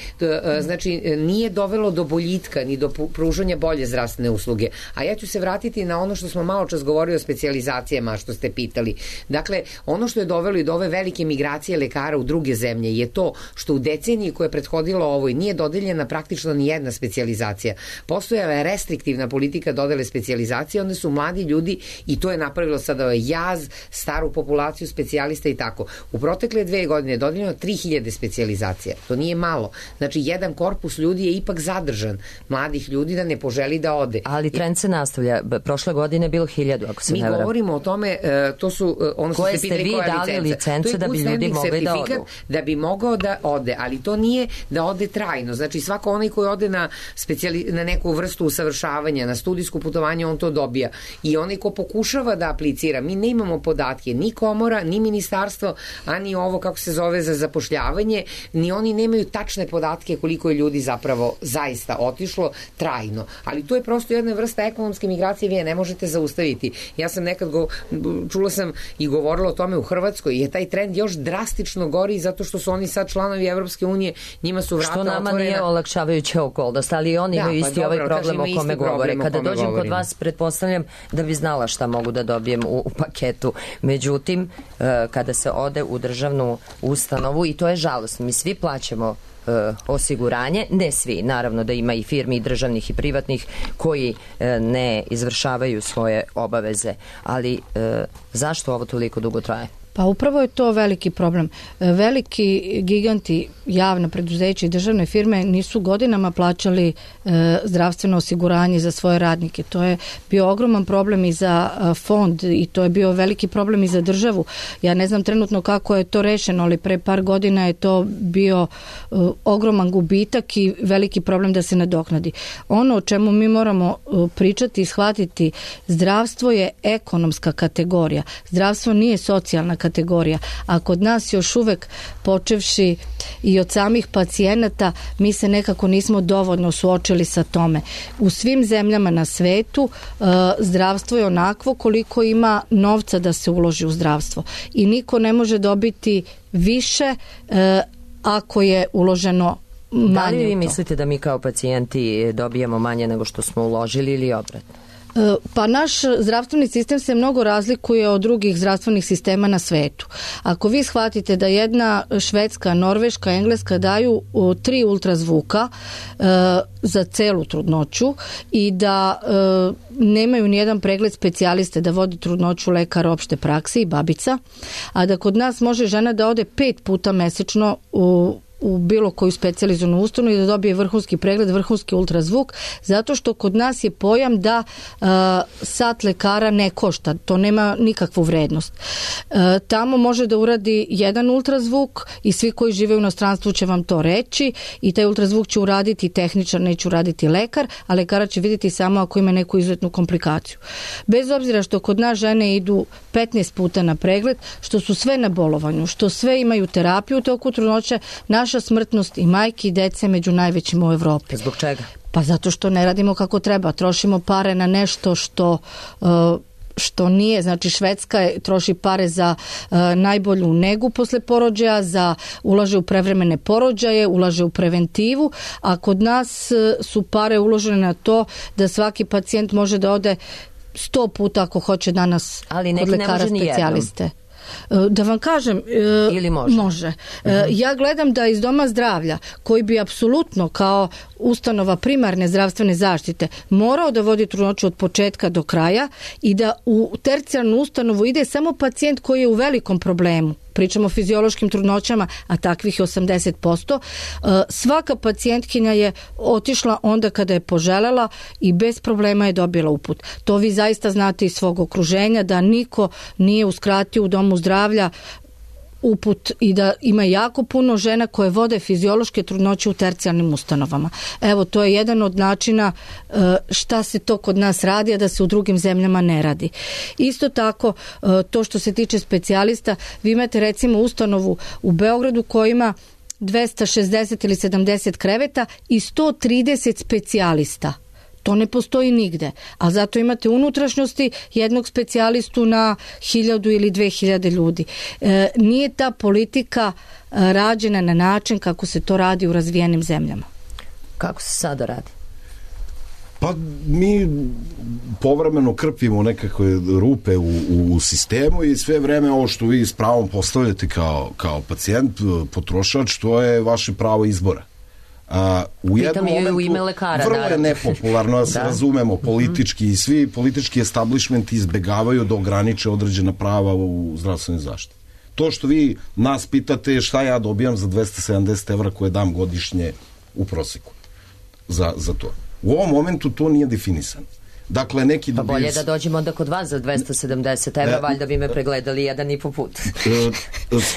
znači, nije dovelo do boljitka ni do pružanja bolje zdravstvene usluge. A ja ću se vratiti na ono što smo malo čas govorili o specijalizacijama, što ste pitali. Dakle, ono što je dovelo i do ove velike migracije lekara u druge zemlje je to što u deceniji koja je prethodila ovoj nije dodeljena praktično ni jedna specijalizacija. Postojala je restriktivna politika dodele specijalizacije, onda su mladi ljudi i to je napravilo sada jaz, staru populaciju specijalista i tako. U protekle dve godine je dodeljeno tri hiljade specijalizacija. To nije malo. Znači, jedan korpus ljudi je ipak zadržan. Mladih ljudi da ne poželi da ode. Ali trend se nastavlja. Prošle godine je bilo hiljadu, ako se Mi ne varam. govorimo o tome, to su ono što koje ste pitali, vi koja dali licenca. licence da bi ljudi mogli da odu. Da bi mogao da ode, ali to nije da ode trajno. Znači svako onaj koji ode na, specijali, na neku vrstu usavršavanja, na studijsko putovanje, on to dobija. I onaj ko pokušava da aplicira, mi ne imamo podatke, ni komora, ni ministarstvo, a ni ovo kako se zove za zapošljavanje, ni oni nemaju tačne podatke koliko je ljudi zapravo zaista otišlo trajno. Ali to je prosto jedna vrsta ekonomske migracije, vi je ne možete zaustaviti. Ja sam nekad go, čula sam i govorila o tome u Hrvatskoj, je taj trend još drastično gori zato što su oni sad članovi Evropske unije, njima su vrata otvorena. Što nama nije olakšavajuća okolnost, ali oni imaju da, isti pa ovaj dobro, problem o kome govore. Kada dođem govorimo. kod vas, pretpostavljam da bi znala šta mogu da dobijem u, u paketu. Međutim, kada se ode u državnu ustanovu, i to je žalostno, mi svi plaćamo osiguranje, ne svi, naravno da ima i firmi i državnih i privatnih koji ne izvršavaju svoje obaveze, ali zašto ovo toliko dugo traje? Pa upravo je to veliki problem. Veliki giganti, javna preduzeća i državne firme nisu godinama plaćali e, zdravstveno osiguranje za svoje radnike. To je bio ogroman problem i za a, fond i to je bio veliki problem i za državu. Ja ne znam trenutno kako je to rešeno, ali pre par godina je to bio e, ogroman gubitak i veliki problem da se nadoknadi. Ono o čemu mi moramo e, pričati i shvatiti, zdravstvo je ekonomska kategorija. Zdravstvo nije socijalna kategorija, a kod nas još uvek počevši i od samih pacijenata mi se nekako nismo dovoljno suočili sa tome. U svim zemljama na svetu uh, zdravstvo je onakvo koliko ima novca da se uloži u zdravstvo i niko ne može dobiti više uh, ako je uloženo manje. Da li vi mislite da mi kao pacijenti dobijemo manje nego što smo uložili ili obratno? Pa naš zdravstveni sistem se mnogo razlikuje od drugih zdravstvenih sistema na svetu. Ako vi shvatite da jedna Švedska, Norveška, Engleska daju tri ultrazvuka e, za celu trudnoću i da e, nemaju nijedan pregled specijaliste, da vodi trudnoću lekar opšte prakse i babica, a da kod nas može žena da ode pet puta mesečno u u bilo koju specijalizovanu ustanovu i da dobije vrhunski pregled, vrhunski ultrazvuk, zato što kod nas je pojam da uh, sat lekara ne košta, to nema nikakvu vrednost. Uh, tamo može da uradi jedan ultrazvuk i svi koji žive u inostranstvu će vam to reći i taj ultrazvuk će uraditi tehničar, neće uraditi lekar, a lekara će vidjeti samo ako ima neku izuzetnu komplikaciju. Bez obzira što kod nas žene idu petnaest puta na pregled, što su sve na bolovanju, što sve imaju terapiju u toku trudnoće, naše naša smrtnost i majki i dece među najvećima u Evropi. Zbog čega? Pa zato što ne radimo kako treba. Trošimo pare na nešto što... Uh, što nije, znači Švedska je, troši pare za uh, najbolju negu posle porođaja, za ulaže u prevremene porođaje, ulaže u preventivu, a kod nas uh, su pare uložene na to da svaki pacijent može da ode sto puta ako hoće danas ali kod lekara specijaliste. Da vam kažem, ili može, može. Uh-huh. Ja gledam da iz doma zdravlja, koji bi apsolutno kao ustanova primarne zdravstvene zaštite morao da vodi trudnoću od početka do kraja i da u tercijarnu ustanovu ide samo pacijent koji je u velikom problemu. Pričamo o fiziološkim trudnoćama, a takvih je osamdeset posto. Svaka pacijentkinja je otišla onda kada je poželela i bez problema je dobila uput. To vi zaista znate iz svog okruženja, da niko nije uskratio u domu zdravlja uput i da ima jako puno žena koje vode fiziološke trudnoće u tercijarnim ustanovama. Evo, to je jedan od načina šta se to kod nas radi, a da se u drugim zemljama ne radi. Isto tako, to što se tiče specijalista, vi imate recimo ustanovu u Beogradu koja ima dvesta šezdeset ili sedamdeset kreveta i sto trideset specijalista. To ne postoji nigde, a zato imate unutrašnjosti jednog specijalistu na hiljadu ili dve hiljade ljudi. E, nije ta politika rađena na način kako se to radi u razvijenim zemljama. Kako se sada radi? Pa mi povremeno krpimo nekakve rupe u, u sistemu i sve vreme ovo što vi s pravom postavljate kao, kao pacijent, potrošač, to je vaše pravo izbora. A, u jednom momentu, u ime lekara, vrlo naravno. je nepopularno da se da. razumemo politički i svi politički establishmenti izbegavaju da ograniče određena prava u zdravstvenoj zaštiti. To što vi nas pitate šta ja dobijam za dvesta sedamdeset evra koje dam godišnje u proseku za, za to. U ovom momentu to nije definisano. Dakle, neki pa bolje da dođemo onda kod vas za dvesta sedamdeset evra, valjda bi me pregledali jedan i po put.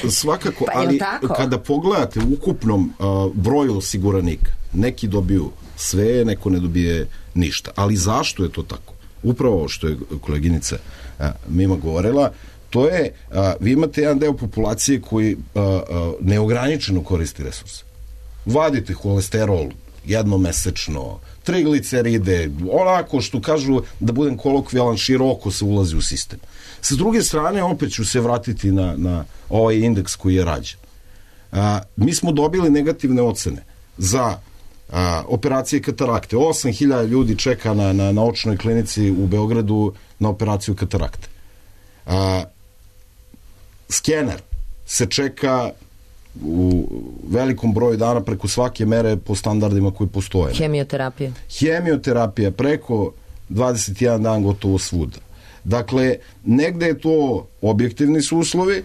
Svakako, pa, ali kada pogledate u ukupnom uh, broju osiguranika, neki dobiju sve, neko ne dobije ništa. Ali zašto je to tako? Upravo što je koleginica uh, Mima govorila, to je, uh, vi imate jedan deo populacije koji uh, uh, neograničeno koristi resurse. Vadite holesterol jednomesečno, trigliceride, onako što kažu, da budem kolokvijalan, široko se ulazi u sistem. Sa druge strane, opet ću se vratiti na, na ovaj indeks koji je rađen. A, mi smo dobili negativne ocene za a, operacije katarakte. osam hiljada ljudi čeka na, na, na očnoj klinici u Beogradu na operaciju katarakte. A, skener se čeka u velikom broju dana preko svake mere po standardima koji postoje. Hemioterapija. Hemioterapija preko dvadeset jedan dan gotovo svuda. Dakle, negde je to objektivni su uslovi,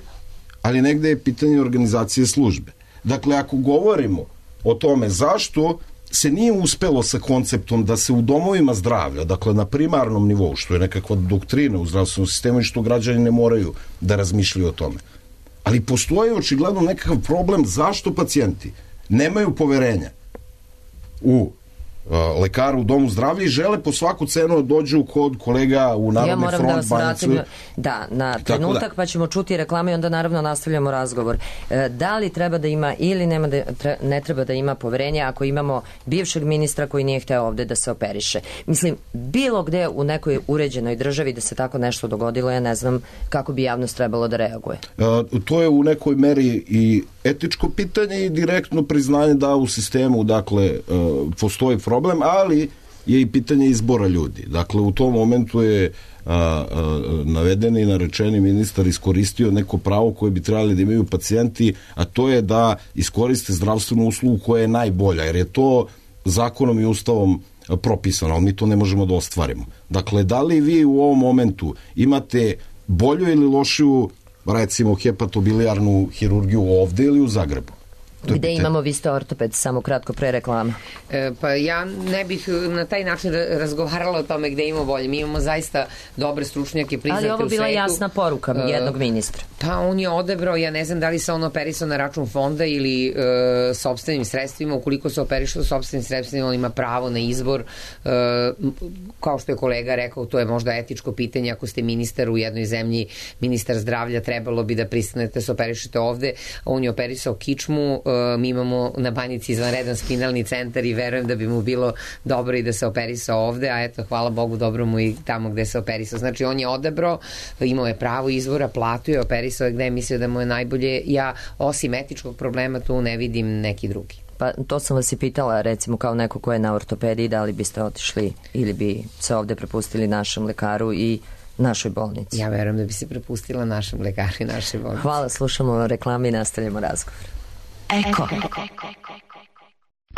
ali negde je pitanje organizacije službe. Dakle, ako govorimo o tome zašto se nije uspelo sa konceptom da se u domovima zdravlja, dakle na primarnom nivou, što je nekakva doktrina u zdravstvenom sistemu i što građani ne moraju da razmišljaju o tome. Ali postoji očigledno nekakav problem zašto pacijenti nemaju poverenja u uh, lekaru u domu zdravlja i žele po svaku cenu da dođu kod kolega u Narodni front, ja moram da Banjicu. vratim, da, na trenutak da. Pa ćemo čuti reklame i onda naravno nastavljamo razgovor. E, da li treba da ima ili nema da, tre, ne treba da ima poverenja ako imamo bivšeg ministra koji nije hteo ovde da se operiše? Mislim, bilo gde u nekoj uređenoj državi da se tako nešto dogodilo, ja ne znam kako bi javnost trebalo da reaguje. E, to je u nekoj meri i etičko pitanje i direktno priznanje da u sistemu, dakle, e, postoji problem, ali je i pitanje izbora ljudi. Dakle, u tom momentu je a, a, navedeni i narečeni ministar iskoristio neko pravo koje bi trebali da imaju pacijenti, a to je da iskoriste zdravstvenu uslugu koja je najbolja, jer je to zakonom i ustavom propisano, ali mi to ne možemo da ostvarimo. Dakle, da li vi u ovom momentu imate bolju ili lošiju, recimo, hepatobilijarnu hirurgiju ovde ili u Zagrebu? Gde imamo, vi ste ortoped, samo kratko pre reklama. E, pa ja ne bih na taj način razgovarala o tome gde imamo bolje. Mi imamo zaista dobre stručnjake priznate u svetu. Ali ovo bila jasna poruka e, jednog ministra. Pa on je odebrao, ja ne znam da li se on operisao na račun fonda ili e, sopstvenim sredstvima. Ukoliko se operišao sopstvenim sredstvima, on ima pravo na izbor. E, kao što je kolega rekao, to je možda etičko pitanje. Ako ste ministar u jednoj zemlji, ministar zdravlja, trebalo bi da pristanete se operišete ovde. On je operisao kičmu, mi imamo na Banjici izvanredan spinalni centar i verujem da bi mu bilo dobro i da se operisao ovde, a eto, hvala Bogu, dobro mu i tamo gde se operisao. Znači, on je odabrao, imao je pravo izvora, platu je, operisao je gde je mislio da mu je najbolje. Ja, osim etičkog problema, tu ne vidim neki drugi. Pa to sam vas i pitala, recimo kao neko ko je na ortopediji, da li biste otišli ili bi se ovde prepustili našem lekaru i našoj bolnici? Ja verujem da bi se prepustila našem lekaru i našoj bolnici. Hvala, slušamo reklame i nastavljamo razgovor. Eko.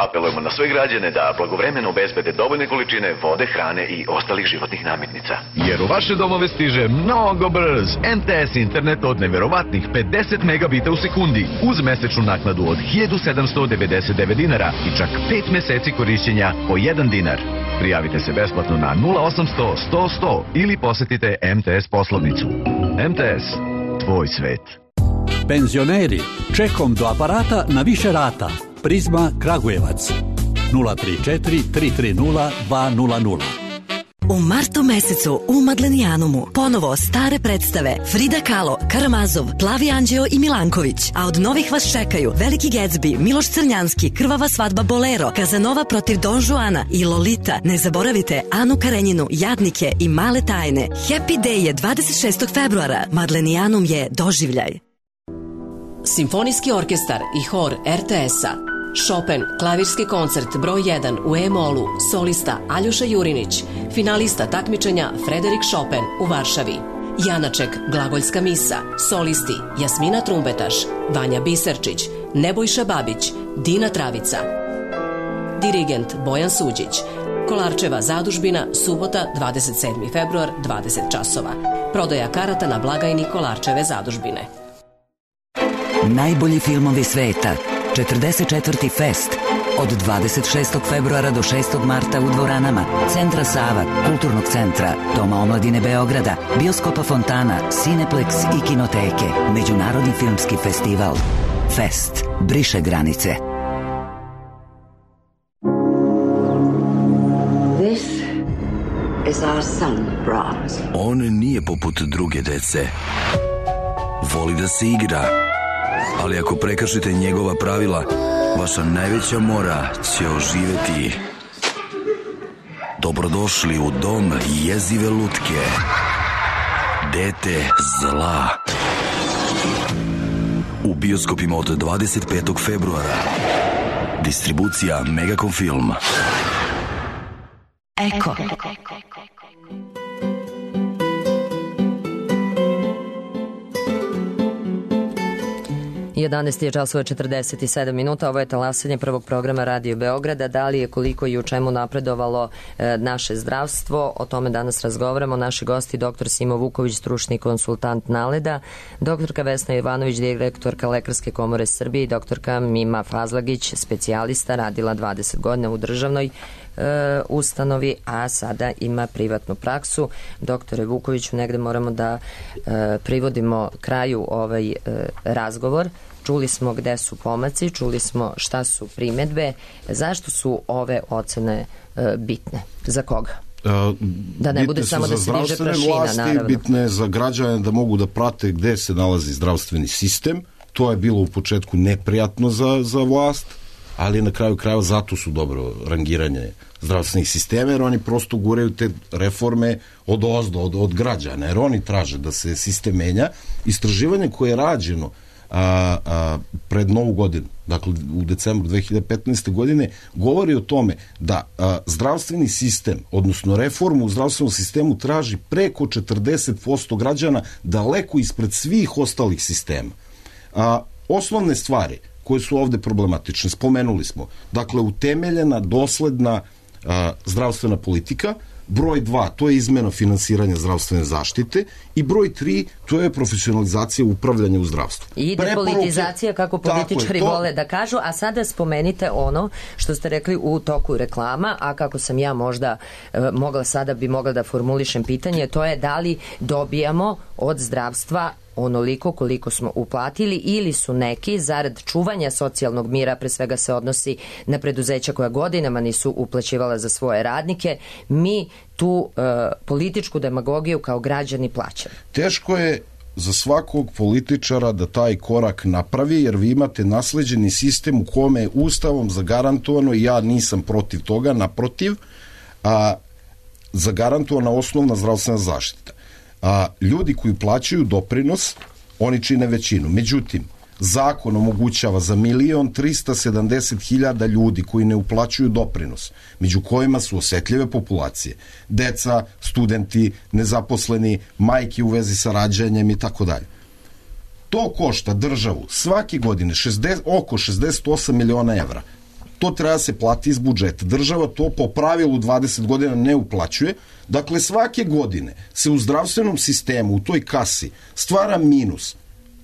Apelujemo na sve građane da blagovremeno obezbede dovoljne količine vode, hrane i ostalih životnih namirnica. Jer u vaše domove stiže mnogo brz em te es internet od neverovatnih pedeset megabita u sekundi uz mesečnu naknadu od hiljadu sedamsto devedeset devet dinara i čak pet meseci korišćenja po jedan dinar. Prijavite se besplatno na nula osamsto sto sto ili posetite em te es poslovnicu. em te es, tvoj svet. Penzioneri, čekom do aparata na više rata. Prizma Kragujevac nula tri četiri tri tri nula dva nula nula. U martu mesecu u Madlenijanumu ponovo stare predstave Frida Kahlo, Karamazov, Plavi Anđeo i Milanković, a od novih vas čekaju Veliki Gatsby, Miloš Crnjanski, Krvava svadba Bolero, Kazanova protiv Don Juana i Lolita. Ne zaboravite Anu Karenjinu, Jadnike i Male tajne. Happy Day je dvadeset šestog februara. Madlenijanum je doživljaj. Simfonijski orkestar i hor er te es-a. Chopin, klavirski koncert broj jedan u E-molu, solista Aljoša Jurinić, finalista takmičenja Frederik Chopin u Varšavi. Janaček, glagoljska misa, solisti Jasmina Trumbetaš, Vanja Biserčić, Nebojša Babić, Dina Travica. Dirigent Bojan Suđić. Kolarčeva zadužbina, subota, dvadeset sedmi februar, dvadeset časova. Prodaja karata na blagajni Kolarčeve zadužbine. Najbolji filmovi sveta. četrdeset četvrti Fest. Od dvadeset šestog februara do šestog marta u dvoranama Centra Sava, Kulturnog centra, Doma omladine Beograda, Bioskopa Fontana, Cineplex i Kinoteke. Međunarodni filmski festival. Fest. Briše granice. This is our son, Brahms. On nije poput druge dece. Voli da se igra. Ali ako prekršite njegova pravila, vaša najveća mora će oživeti. Dobrodošli u dom jezive lutke. Dete zla. U bioskopima od dvadeset petog februara. Distribucija Megacom Film. Eko. jedanaest je časova četrdeset sedam minuta, ovo je talasanje prvog programa Radio Beograda. Da li je, koliko i u čemu napredovalo e, naše zdravstvo, o tome danas razgovaramo. Naši gosti, doktor Simo Vuković, stručni konsultant Naleda, doktorka Vesna Ivanović, direktorka Lekarske komore Srbije i doktorka Mima Fazlagić, specijalista, radila dvadeset godina u državnoj e, ustanovi, a sada ima privatnu praksu. Doktore Vukoviću, negde moramo da e, privodimo kraju ovaj e, razgovor. Čuli smo gde su pomaci, čuli smo šta su primedbe. Zašto su ove ocene e, bitne? Za koga? Da ne bude samo da se diže prašina, vlasti, naravno. Bitne je za građane da mogu da prate gde se nalazi zdravstveni sistem. To je bilo u početku neprijatno za, za vlast, ali na kraju krajeva zato su dobro rangiranje zdravstvenih sistema, jer oni prosto guraju te reforme od ozdo, od, od građana, jer oni traže da se sistem menja. Istraživanje koje je rađeno A, a, pred novu godinu, dakle u decembru dve hiljade petnaeste. godine, govori o tome da a, zdravstveni sistem, odnosno reformu u zdravstvenom sistemu traži preko četrdeset posto građana, daleko ispred svih ostalih sistema. A, osnovne stvari koje su ovde problematične, spomenuli smo, dakle utemeljena, dosledna a, zdravstvena politika. Broj dva, to je izmena finansiranja zdravstvene zaštite, i broj tri, to je profesionalizacija upravljanja u zdravstvu. I depolitizacija, kako političari to vole da kažu. A sada spomenite ono što ste rekli u toku reklama, a kako sam ja možda e, mogla sada bi mogla da formulišem pitanje, to je da li dobijamo od zdravstva onoliko koliko smo uplatili, ili su neki zarad čuvanja socijalnog mira, pre svega se odnosi na preduzeća koja godinama nisu uplaćivala za svoje radnike, mi tu e, političku demagogiju kao građani plaćamo. Teško je za svakog političara da taj korak napravi, jer vi imate nasleđeni sistem u kome je Ustavom zagarantovano, i ja nisam protiv toga, naprotiv, a, zagarantovana osnovna zdravstvena zaštita. A, ljudi koji plaćaju doprinos, oni čine većinu. Međutim, zakon omogućava za milion trista sedamdeset hiljada ljudi koji ne uplaćuju doprinos, među kojima su osetljive populacije, deca, studenti, nezaposleni, majke u vezi sa rađanjem i tako dalje. To košta državu svake godine šezdeset, oko šezdeset osam miliona evra. To treba se plati iz budžeta. Država to po pravilu dvadeset godina ne uplaćuje. Dakle, svake godine se u zdravstvenom sistemu, u toj kasi, stvara minus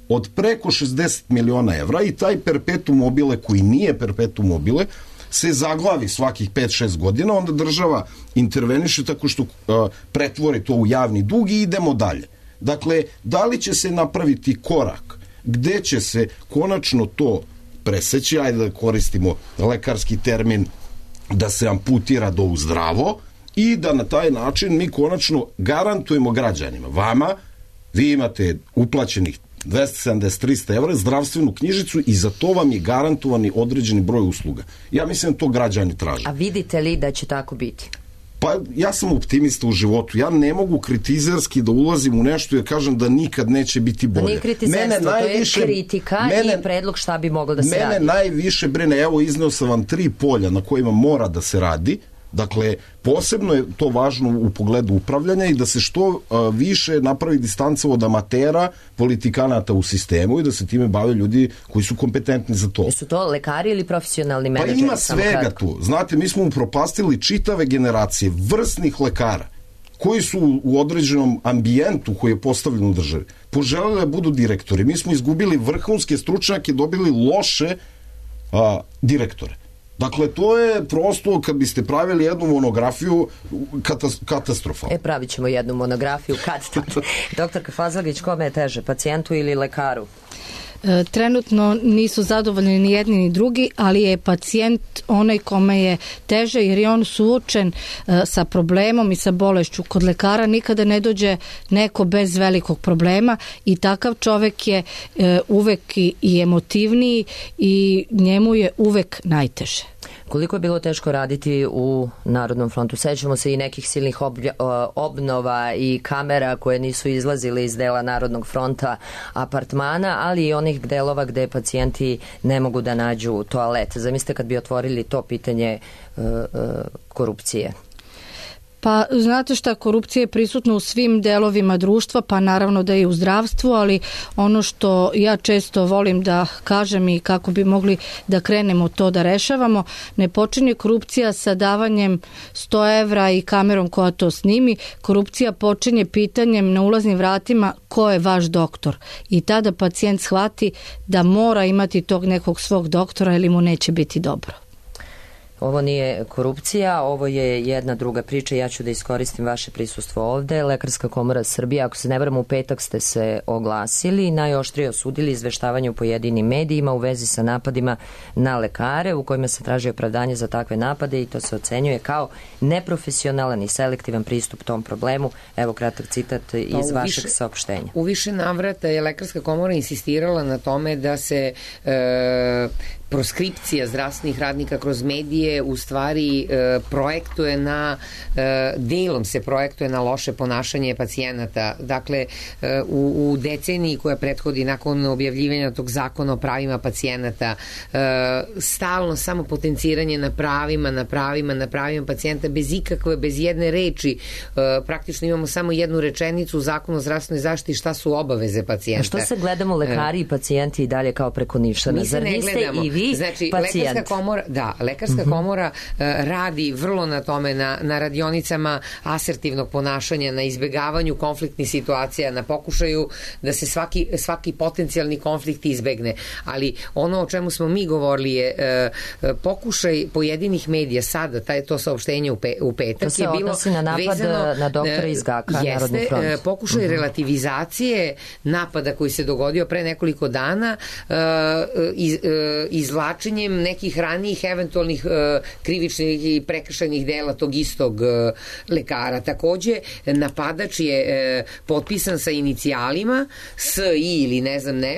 od preko šezdeset miliona evra i taj perpetuum mobile, koji nije perpetuum mobile, se zaglavi svakih pet šest godina, onda država interveniše tako što uh, pretvori to u javni dug i idemo dalje. Dakle, da li će se napraviti korak gde će se konačno to preseći, ajde da koristimo lekarski termin, da se amputira do uzdravo i da na taj način mi konačno garantujemo građanima, vama, vi imate uplaćenih dvesta sedamdeset do trista evra, zdravstvenu knjižicu i za to vam je garantovani određeni broj usluga. Ja mislim da to građani traže. A vidite li da će tako biti? Pa ja sam optimista u životu. Ja ne mogu kritizerski da ulazim u nešto jer kažem da nikad neće biti bolje. To nije kritizerstvo, najviše, to je kritika mene, i predlog šta bi moglo da se mene radi. Mene najviše brine, evo izneo sam vam tri polja na kojima mora da se radi. Dakle, posebno je to važno u pogledu upravljanja i da se što uh, više napravi distanca od amatera, politikanata u sistemu i da se time bave ljudi koji su kompetentni za to. Jesu to lekari ili profesionalni menadžeri? Pa ima svega tu. Znate, mi smo upropastili čitave generacije vrsnih lekara koji su u određenom ambijentu koji je postavljen u državi poželeli da budu direktori. Mi smo izgubili vrhunske stručnjake, dobili loše a, direktore. Dakle, to je prosto, kad biste pravili jednu monografiju, katastrofa. E, pravit ćemo jednu monografiju, kad tad. Doktorka Fazlagić, kome je teže, pacijentu ili lekaru? E, trenutno nisu zadovoljni ni jedni ni drugi, ali je pacijent onaj kome je teže jer je on suočen e, sa problemom i sa bolešću. Kod lekara nikada ne dođe neko bez velikog problema i takav čovek je e, uvek i, i emotivniji i njemu je uvek najteže. Koliko je bilo teško raditi u Narodnom frontu? Sećamo se i nekih silnih oblja, obnova i kamera koje nisu izlazile iz dela Narodnog fronta apartmana, ali i onih delova gde pacijenti ne mogu da nađu toalet. Zamislite kad bi otvorili to pitanje uh, uh, korupcije. Pa znate šta, korupcija je prisutna u svim delovima društva, pa naravno da je i u zdravstvu, ali ono što ja često volim da kažem i kako bi mogli da krenemo to da rešavamo, ne počinje korupcija sa davanjem sto evra i kamerom koja to snimi, korupcija počinje pitanjem na ulaznim vratima ko je vaš doktor i tada pacijent shvati da mora imati tog nekog svog doktora ili mu neće biti dobro. Ovo nije korupcija, ovo je jedna druga priča. Ja ću da iskoristim vaše prisustvo ovde. Lekarska komora Srbije, ako se ne varam, u petak ste se oglasili, najoštrije osudili izveštavanje u pojedinim medijima u vezi sa napadima na lekare, u kojima se traži opravdanje za takve napade i to se ocenjuje kao neprofesionalan i selektivan pristup tom problemu. Evo kratak citat iz pa vašeg više, saopštenja. U više navrata je Lekarska komora insistirala na tome da se e, proskripcija zdravstvenih radnika kroz medije u stvari e, projektuje na, e, delom se projektuje na loše ponašanje pacijenata. Dakle, e, u, u deceniji koja prethodi nakon objavljivanja tog zakona o pravima pacijenata, e, stalno samo potenciranje na pravima, na pravima, na pravima pacijenta bez ikakve, bez jedne reči. E, praktično imamo samo jednu rečenicu u zakonu o zdravstvenoj zaštiti šta su obaveze pacijenta. A što se gledamo lekari i pacijenti i dalje kao preko nišana? Zar niste i vi znači, pacijent? Lekarska komora, da, Lekarska mm-hmm. komora uh, radi vrlo na tome, na, na radionicama asertivnog ponašanja, na izbegavanju konfliktnih situacija, na pokušaju da se svaki, svaki potencijalni konflikt izbegne. Ali ono o čemu smo mi govorili je uh, pokušaj pojedinih medija sada, taj, to saopštenje u, pe, u petak to se je bilo odnosi na napad vezano, na doktora iz Gaka, jeste, Narodni front. Uh, pokušaj mm-hmm. relativizacije napada koji se dogodio pre nekoliko dana, uh, iz, uh, izla izvlačenjem nekih ranijih eventualnih uh, krivičnih i prekršajnih dela tog istog uh, lekara. Takođe, napadač je uh, potpisan sa inicijalima S I ili ne znam ne,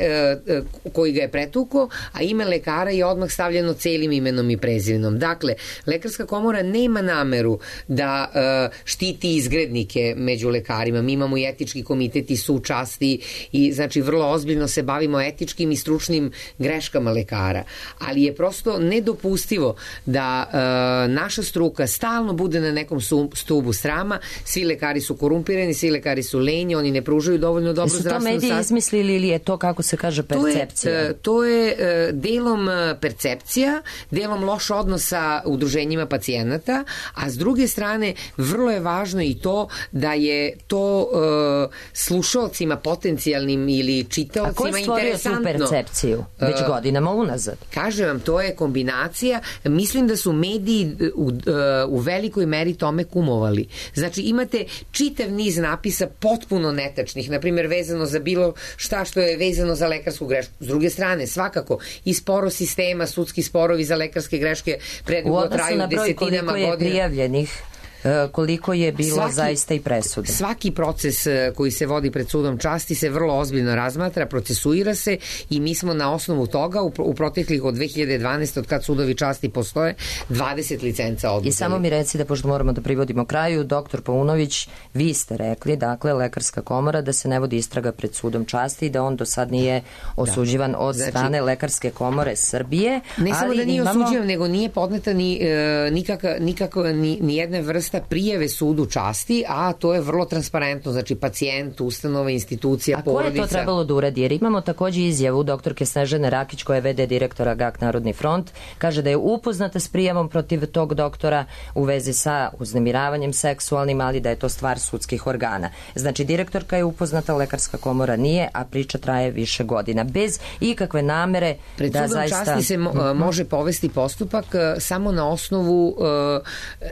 uh, koji ga je pretuko, a ime lekara je odmah stavljeno celim imenom i prezimenom. Dakle, Lekarska komora nema nameru da uh, štiti izgrednike među lekarima. Mi imamo i etički komitet i sud časti i znači vrlo ozbiljno se bavimo etičkim i stručnim greškama lekara. Ali je prosto nedopustivo da uh, naša struka stalno bude na nekom stubu srama. Svi lekari su korumpirani, svi lekari su lenji, oni ne pružaju dovoljno dobro zdravstvenu zaštitu. Su to mediji izmislili ili je to, kako se kaže, percepcija? To je, to je uh, delom percepcija, delom loš odnos sa udruženjima pacijenata, a s druge strane vrlo je važno i to da je to uh, slušalcima potencijalnim ili čitaocima interesantno. A ko je stvorio tu percepciju već uh, godinama unazad? Kažem vam, to je kombinacija. Mislim da su mediji u, uh, u velikoj meri tome kumovali. Znači imate čitav niz napisa potpuno netačnih, na primjer vezano za bilo šta što je vezano za lekarsku grešku. S druge strane, svakako i sporo sistema, sudski sporovi za lekarske greške predugo traju desetinama godina. U odnosu na broj koliko je prijavljenih, koliko je bilo svaki, zaista i presude. Svaki proces koji se vodi pred sudom časti se vrlo ozbiljno razmatra, procesuira se i mi smo na osnovu toga u, u proteklih od dve hiljade dvanaeste. od kad sudovi časti postoje, dvadeset licenca oduzeli. I samo mi reci, da pošto moramo da privodimo kraju, doktor Paunović, vi ste rekli, dakle, Lekarska komora, da se ne vodi istraga pred sudom časti i da on do sad nije osuđivan da. od znači, strane Lekarske komore Srbije. Ne samo da nije imamo... osuđivan, nego nije podneta ni, e, nikaka, nikako, ni, ni jedne vrste prijeve sudu časti, a to je vrlo transparentno, znači pacijent, ustanova, institucija, a porodica. A koje je to trebalo da uradi? Jer imamo takođe izjavu doktorke Snežane Rakić, koja je ve de direktora G A K Narodni front, kaže da je upoznata s prijavom protiv tog doktora u vezi sa uznemiravanjem seksualnim, ali da je to stvar sudskih organa. Znači, direktorka je upoznata, Lekarska komora nije, a priča traje više godina. Bez ikakve namere Pred da zaista... Pred sudom časti se mo može povesti postupak uh, samo na osnovu uh,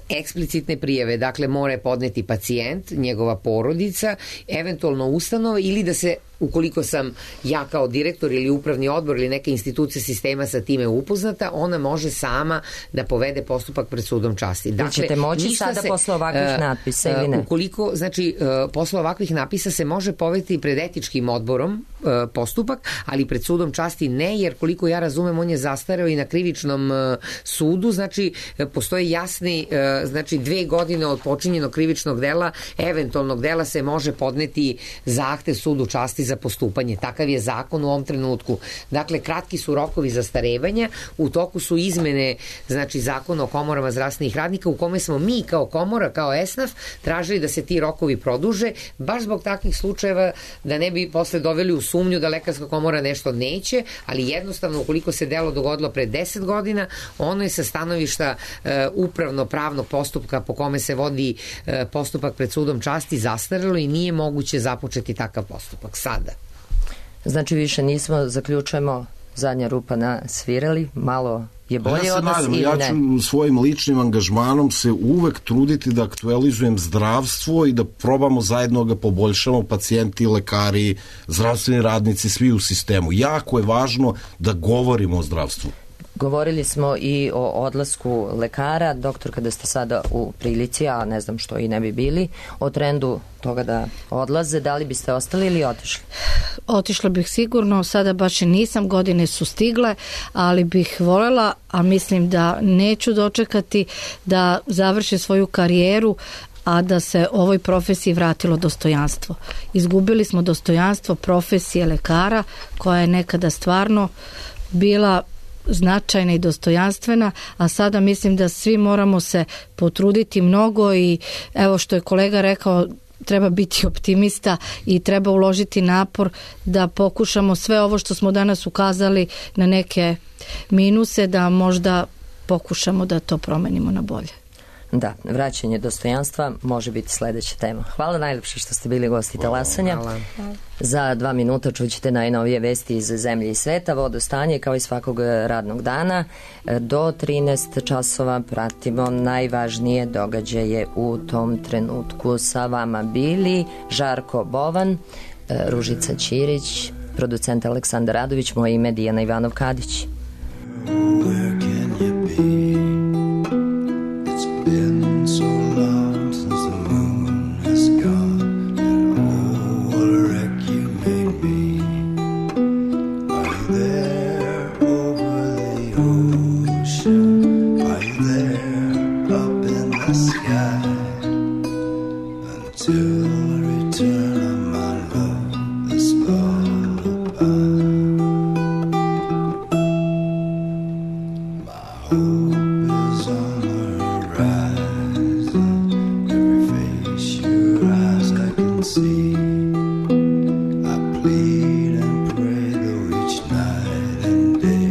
eksplicitne prijave. Dakle, mora podneti pacijent, njegova porodica, eventualno ustanova, ili da se, ukoliko sam ja kao direktor ili upravni odbor ili neka institucija sistema sa time upoznata, ona može sama da povede postupak pred sudom časti. Dakle, ćete moći sada se, posle ovakvih uh, napisa ili ne? Ukoliko, znači, uh, posle ovakvih napisa se može povesti pred etičkim odborom uh, postupak, ali pred sudom časti ne, jer koliko ja razumem, on je zastareo i na krivičnom uh, sudu, znači, uh, postoje jasni, uh, znači, dve godine od počinjenog krivičnog dela, eventualnog dela se može podneti zahtev sudu časti za postupanje. Takav je zakon u ovom trenutku. Dakle, kratki su rokovi zastarevanja, u toku su izmene, znači, zakona o komorama zdravstvenih radnika, u kome smo mi kao komora, kao esnaf, tražili da se ti rokovi produže, baš zbog takvih slučajeva, da ne bi posle doveli u sumnju da Lekarska komora nešto neće, ali jednostavno, ukoliko se delo dogodilo pre deset godina, ono je sa stanovišta uh, upravno-pravnog postupka po kome se vodi uh, postupak pred sudom časti zastarelo i nije moguće započeti takav postupak sada. Znači, više nismo, zaključujemo, zadnja rupa na svirali, malo je bolje ja od nas nadam, ili ja ne? Ja ću svojim ličnim angažmanom se uvek truditi da aktualizujem zdravstvo i da probamo zajedno ga poboljšamo, pacijenti, lekari, zdravstveni radnici, svi u sistemu. Jako je važno da govorimo o zdravstvu. Govorili smo i o odlasku lekara, doktor, kada ste sada u prilici, a ne znam što i ne bi bili, o trendu toga da odlaze, da li biste ostali ili otišli? Otišla bih sigurno, sada baš i nisam, godine su stigle, ali bih voljela, a mislim da neću dočekati da završi svoju karijeru, a da se ovoj profesiji vratilo dostojanstvo. Izgubili smo dostojanstvo profesije lekara, koja je nekada stvarno bila značajna i dostojanstvena, a sada mislim da svi moramo se potruditi mnogo i evo što je kolega rekao, treba biti optimista i treba uložiti napor da pokušamo sve ovo što smo danas ukazali na neke minuse, da možda pokušamo da to promenimo na bolje. Da, vraćanje dostojanstva može biti sledeća tema. Hvala najlepše što ste bili gosti Talasanja. Hvala. Za dva minuta čućete najnovije vesti iz zemlje i sveta, vodostanje kao i svakog radnog dana. Do trinaest časova pratimo najvažnije događaje u tom trenutku. Sa vama bili Žarko Bovan, Ružica Ćirić, producent Aleksandar Radović, moje ime Dijana Ivanov-Kadić. bude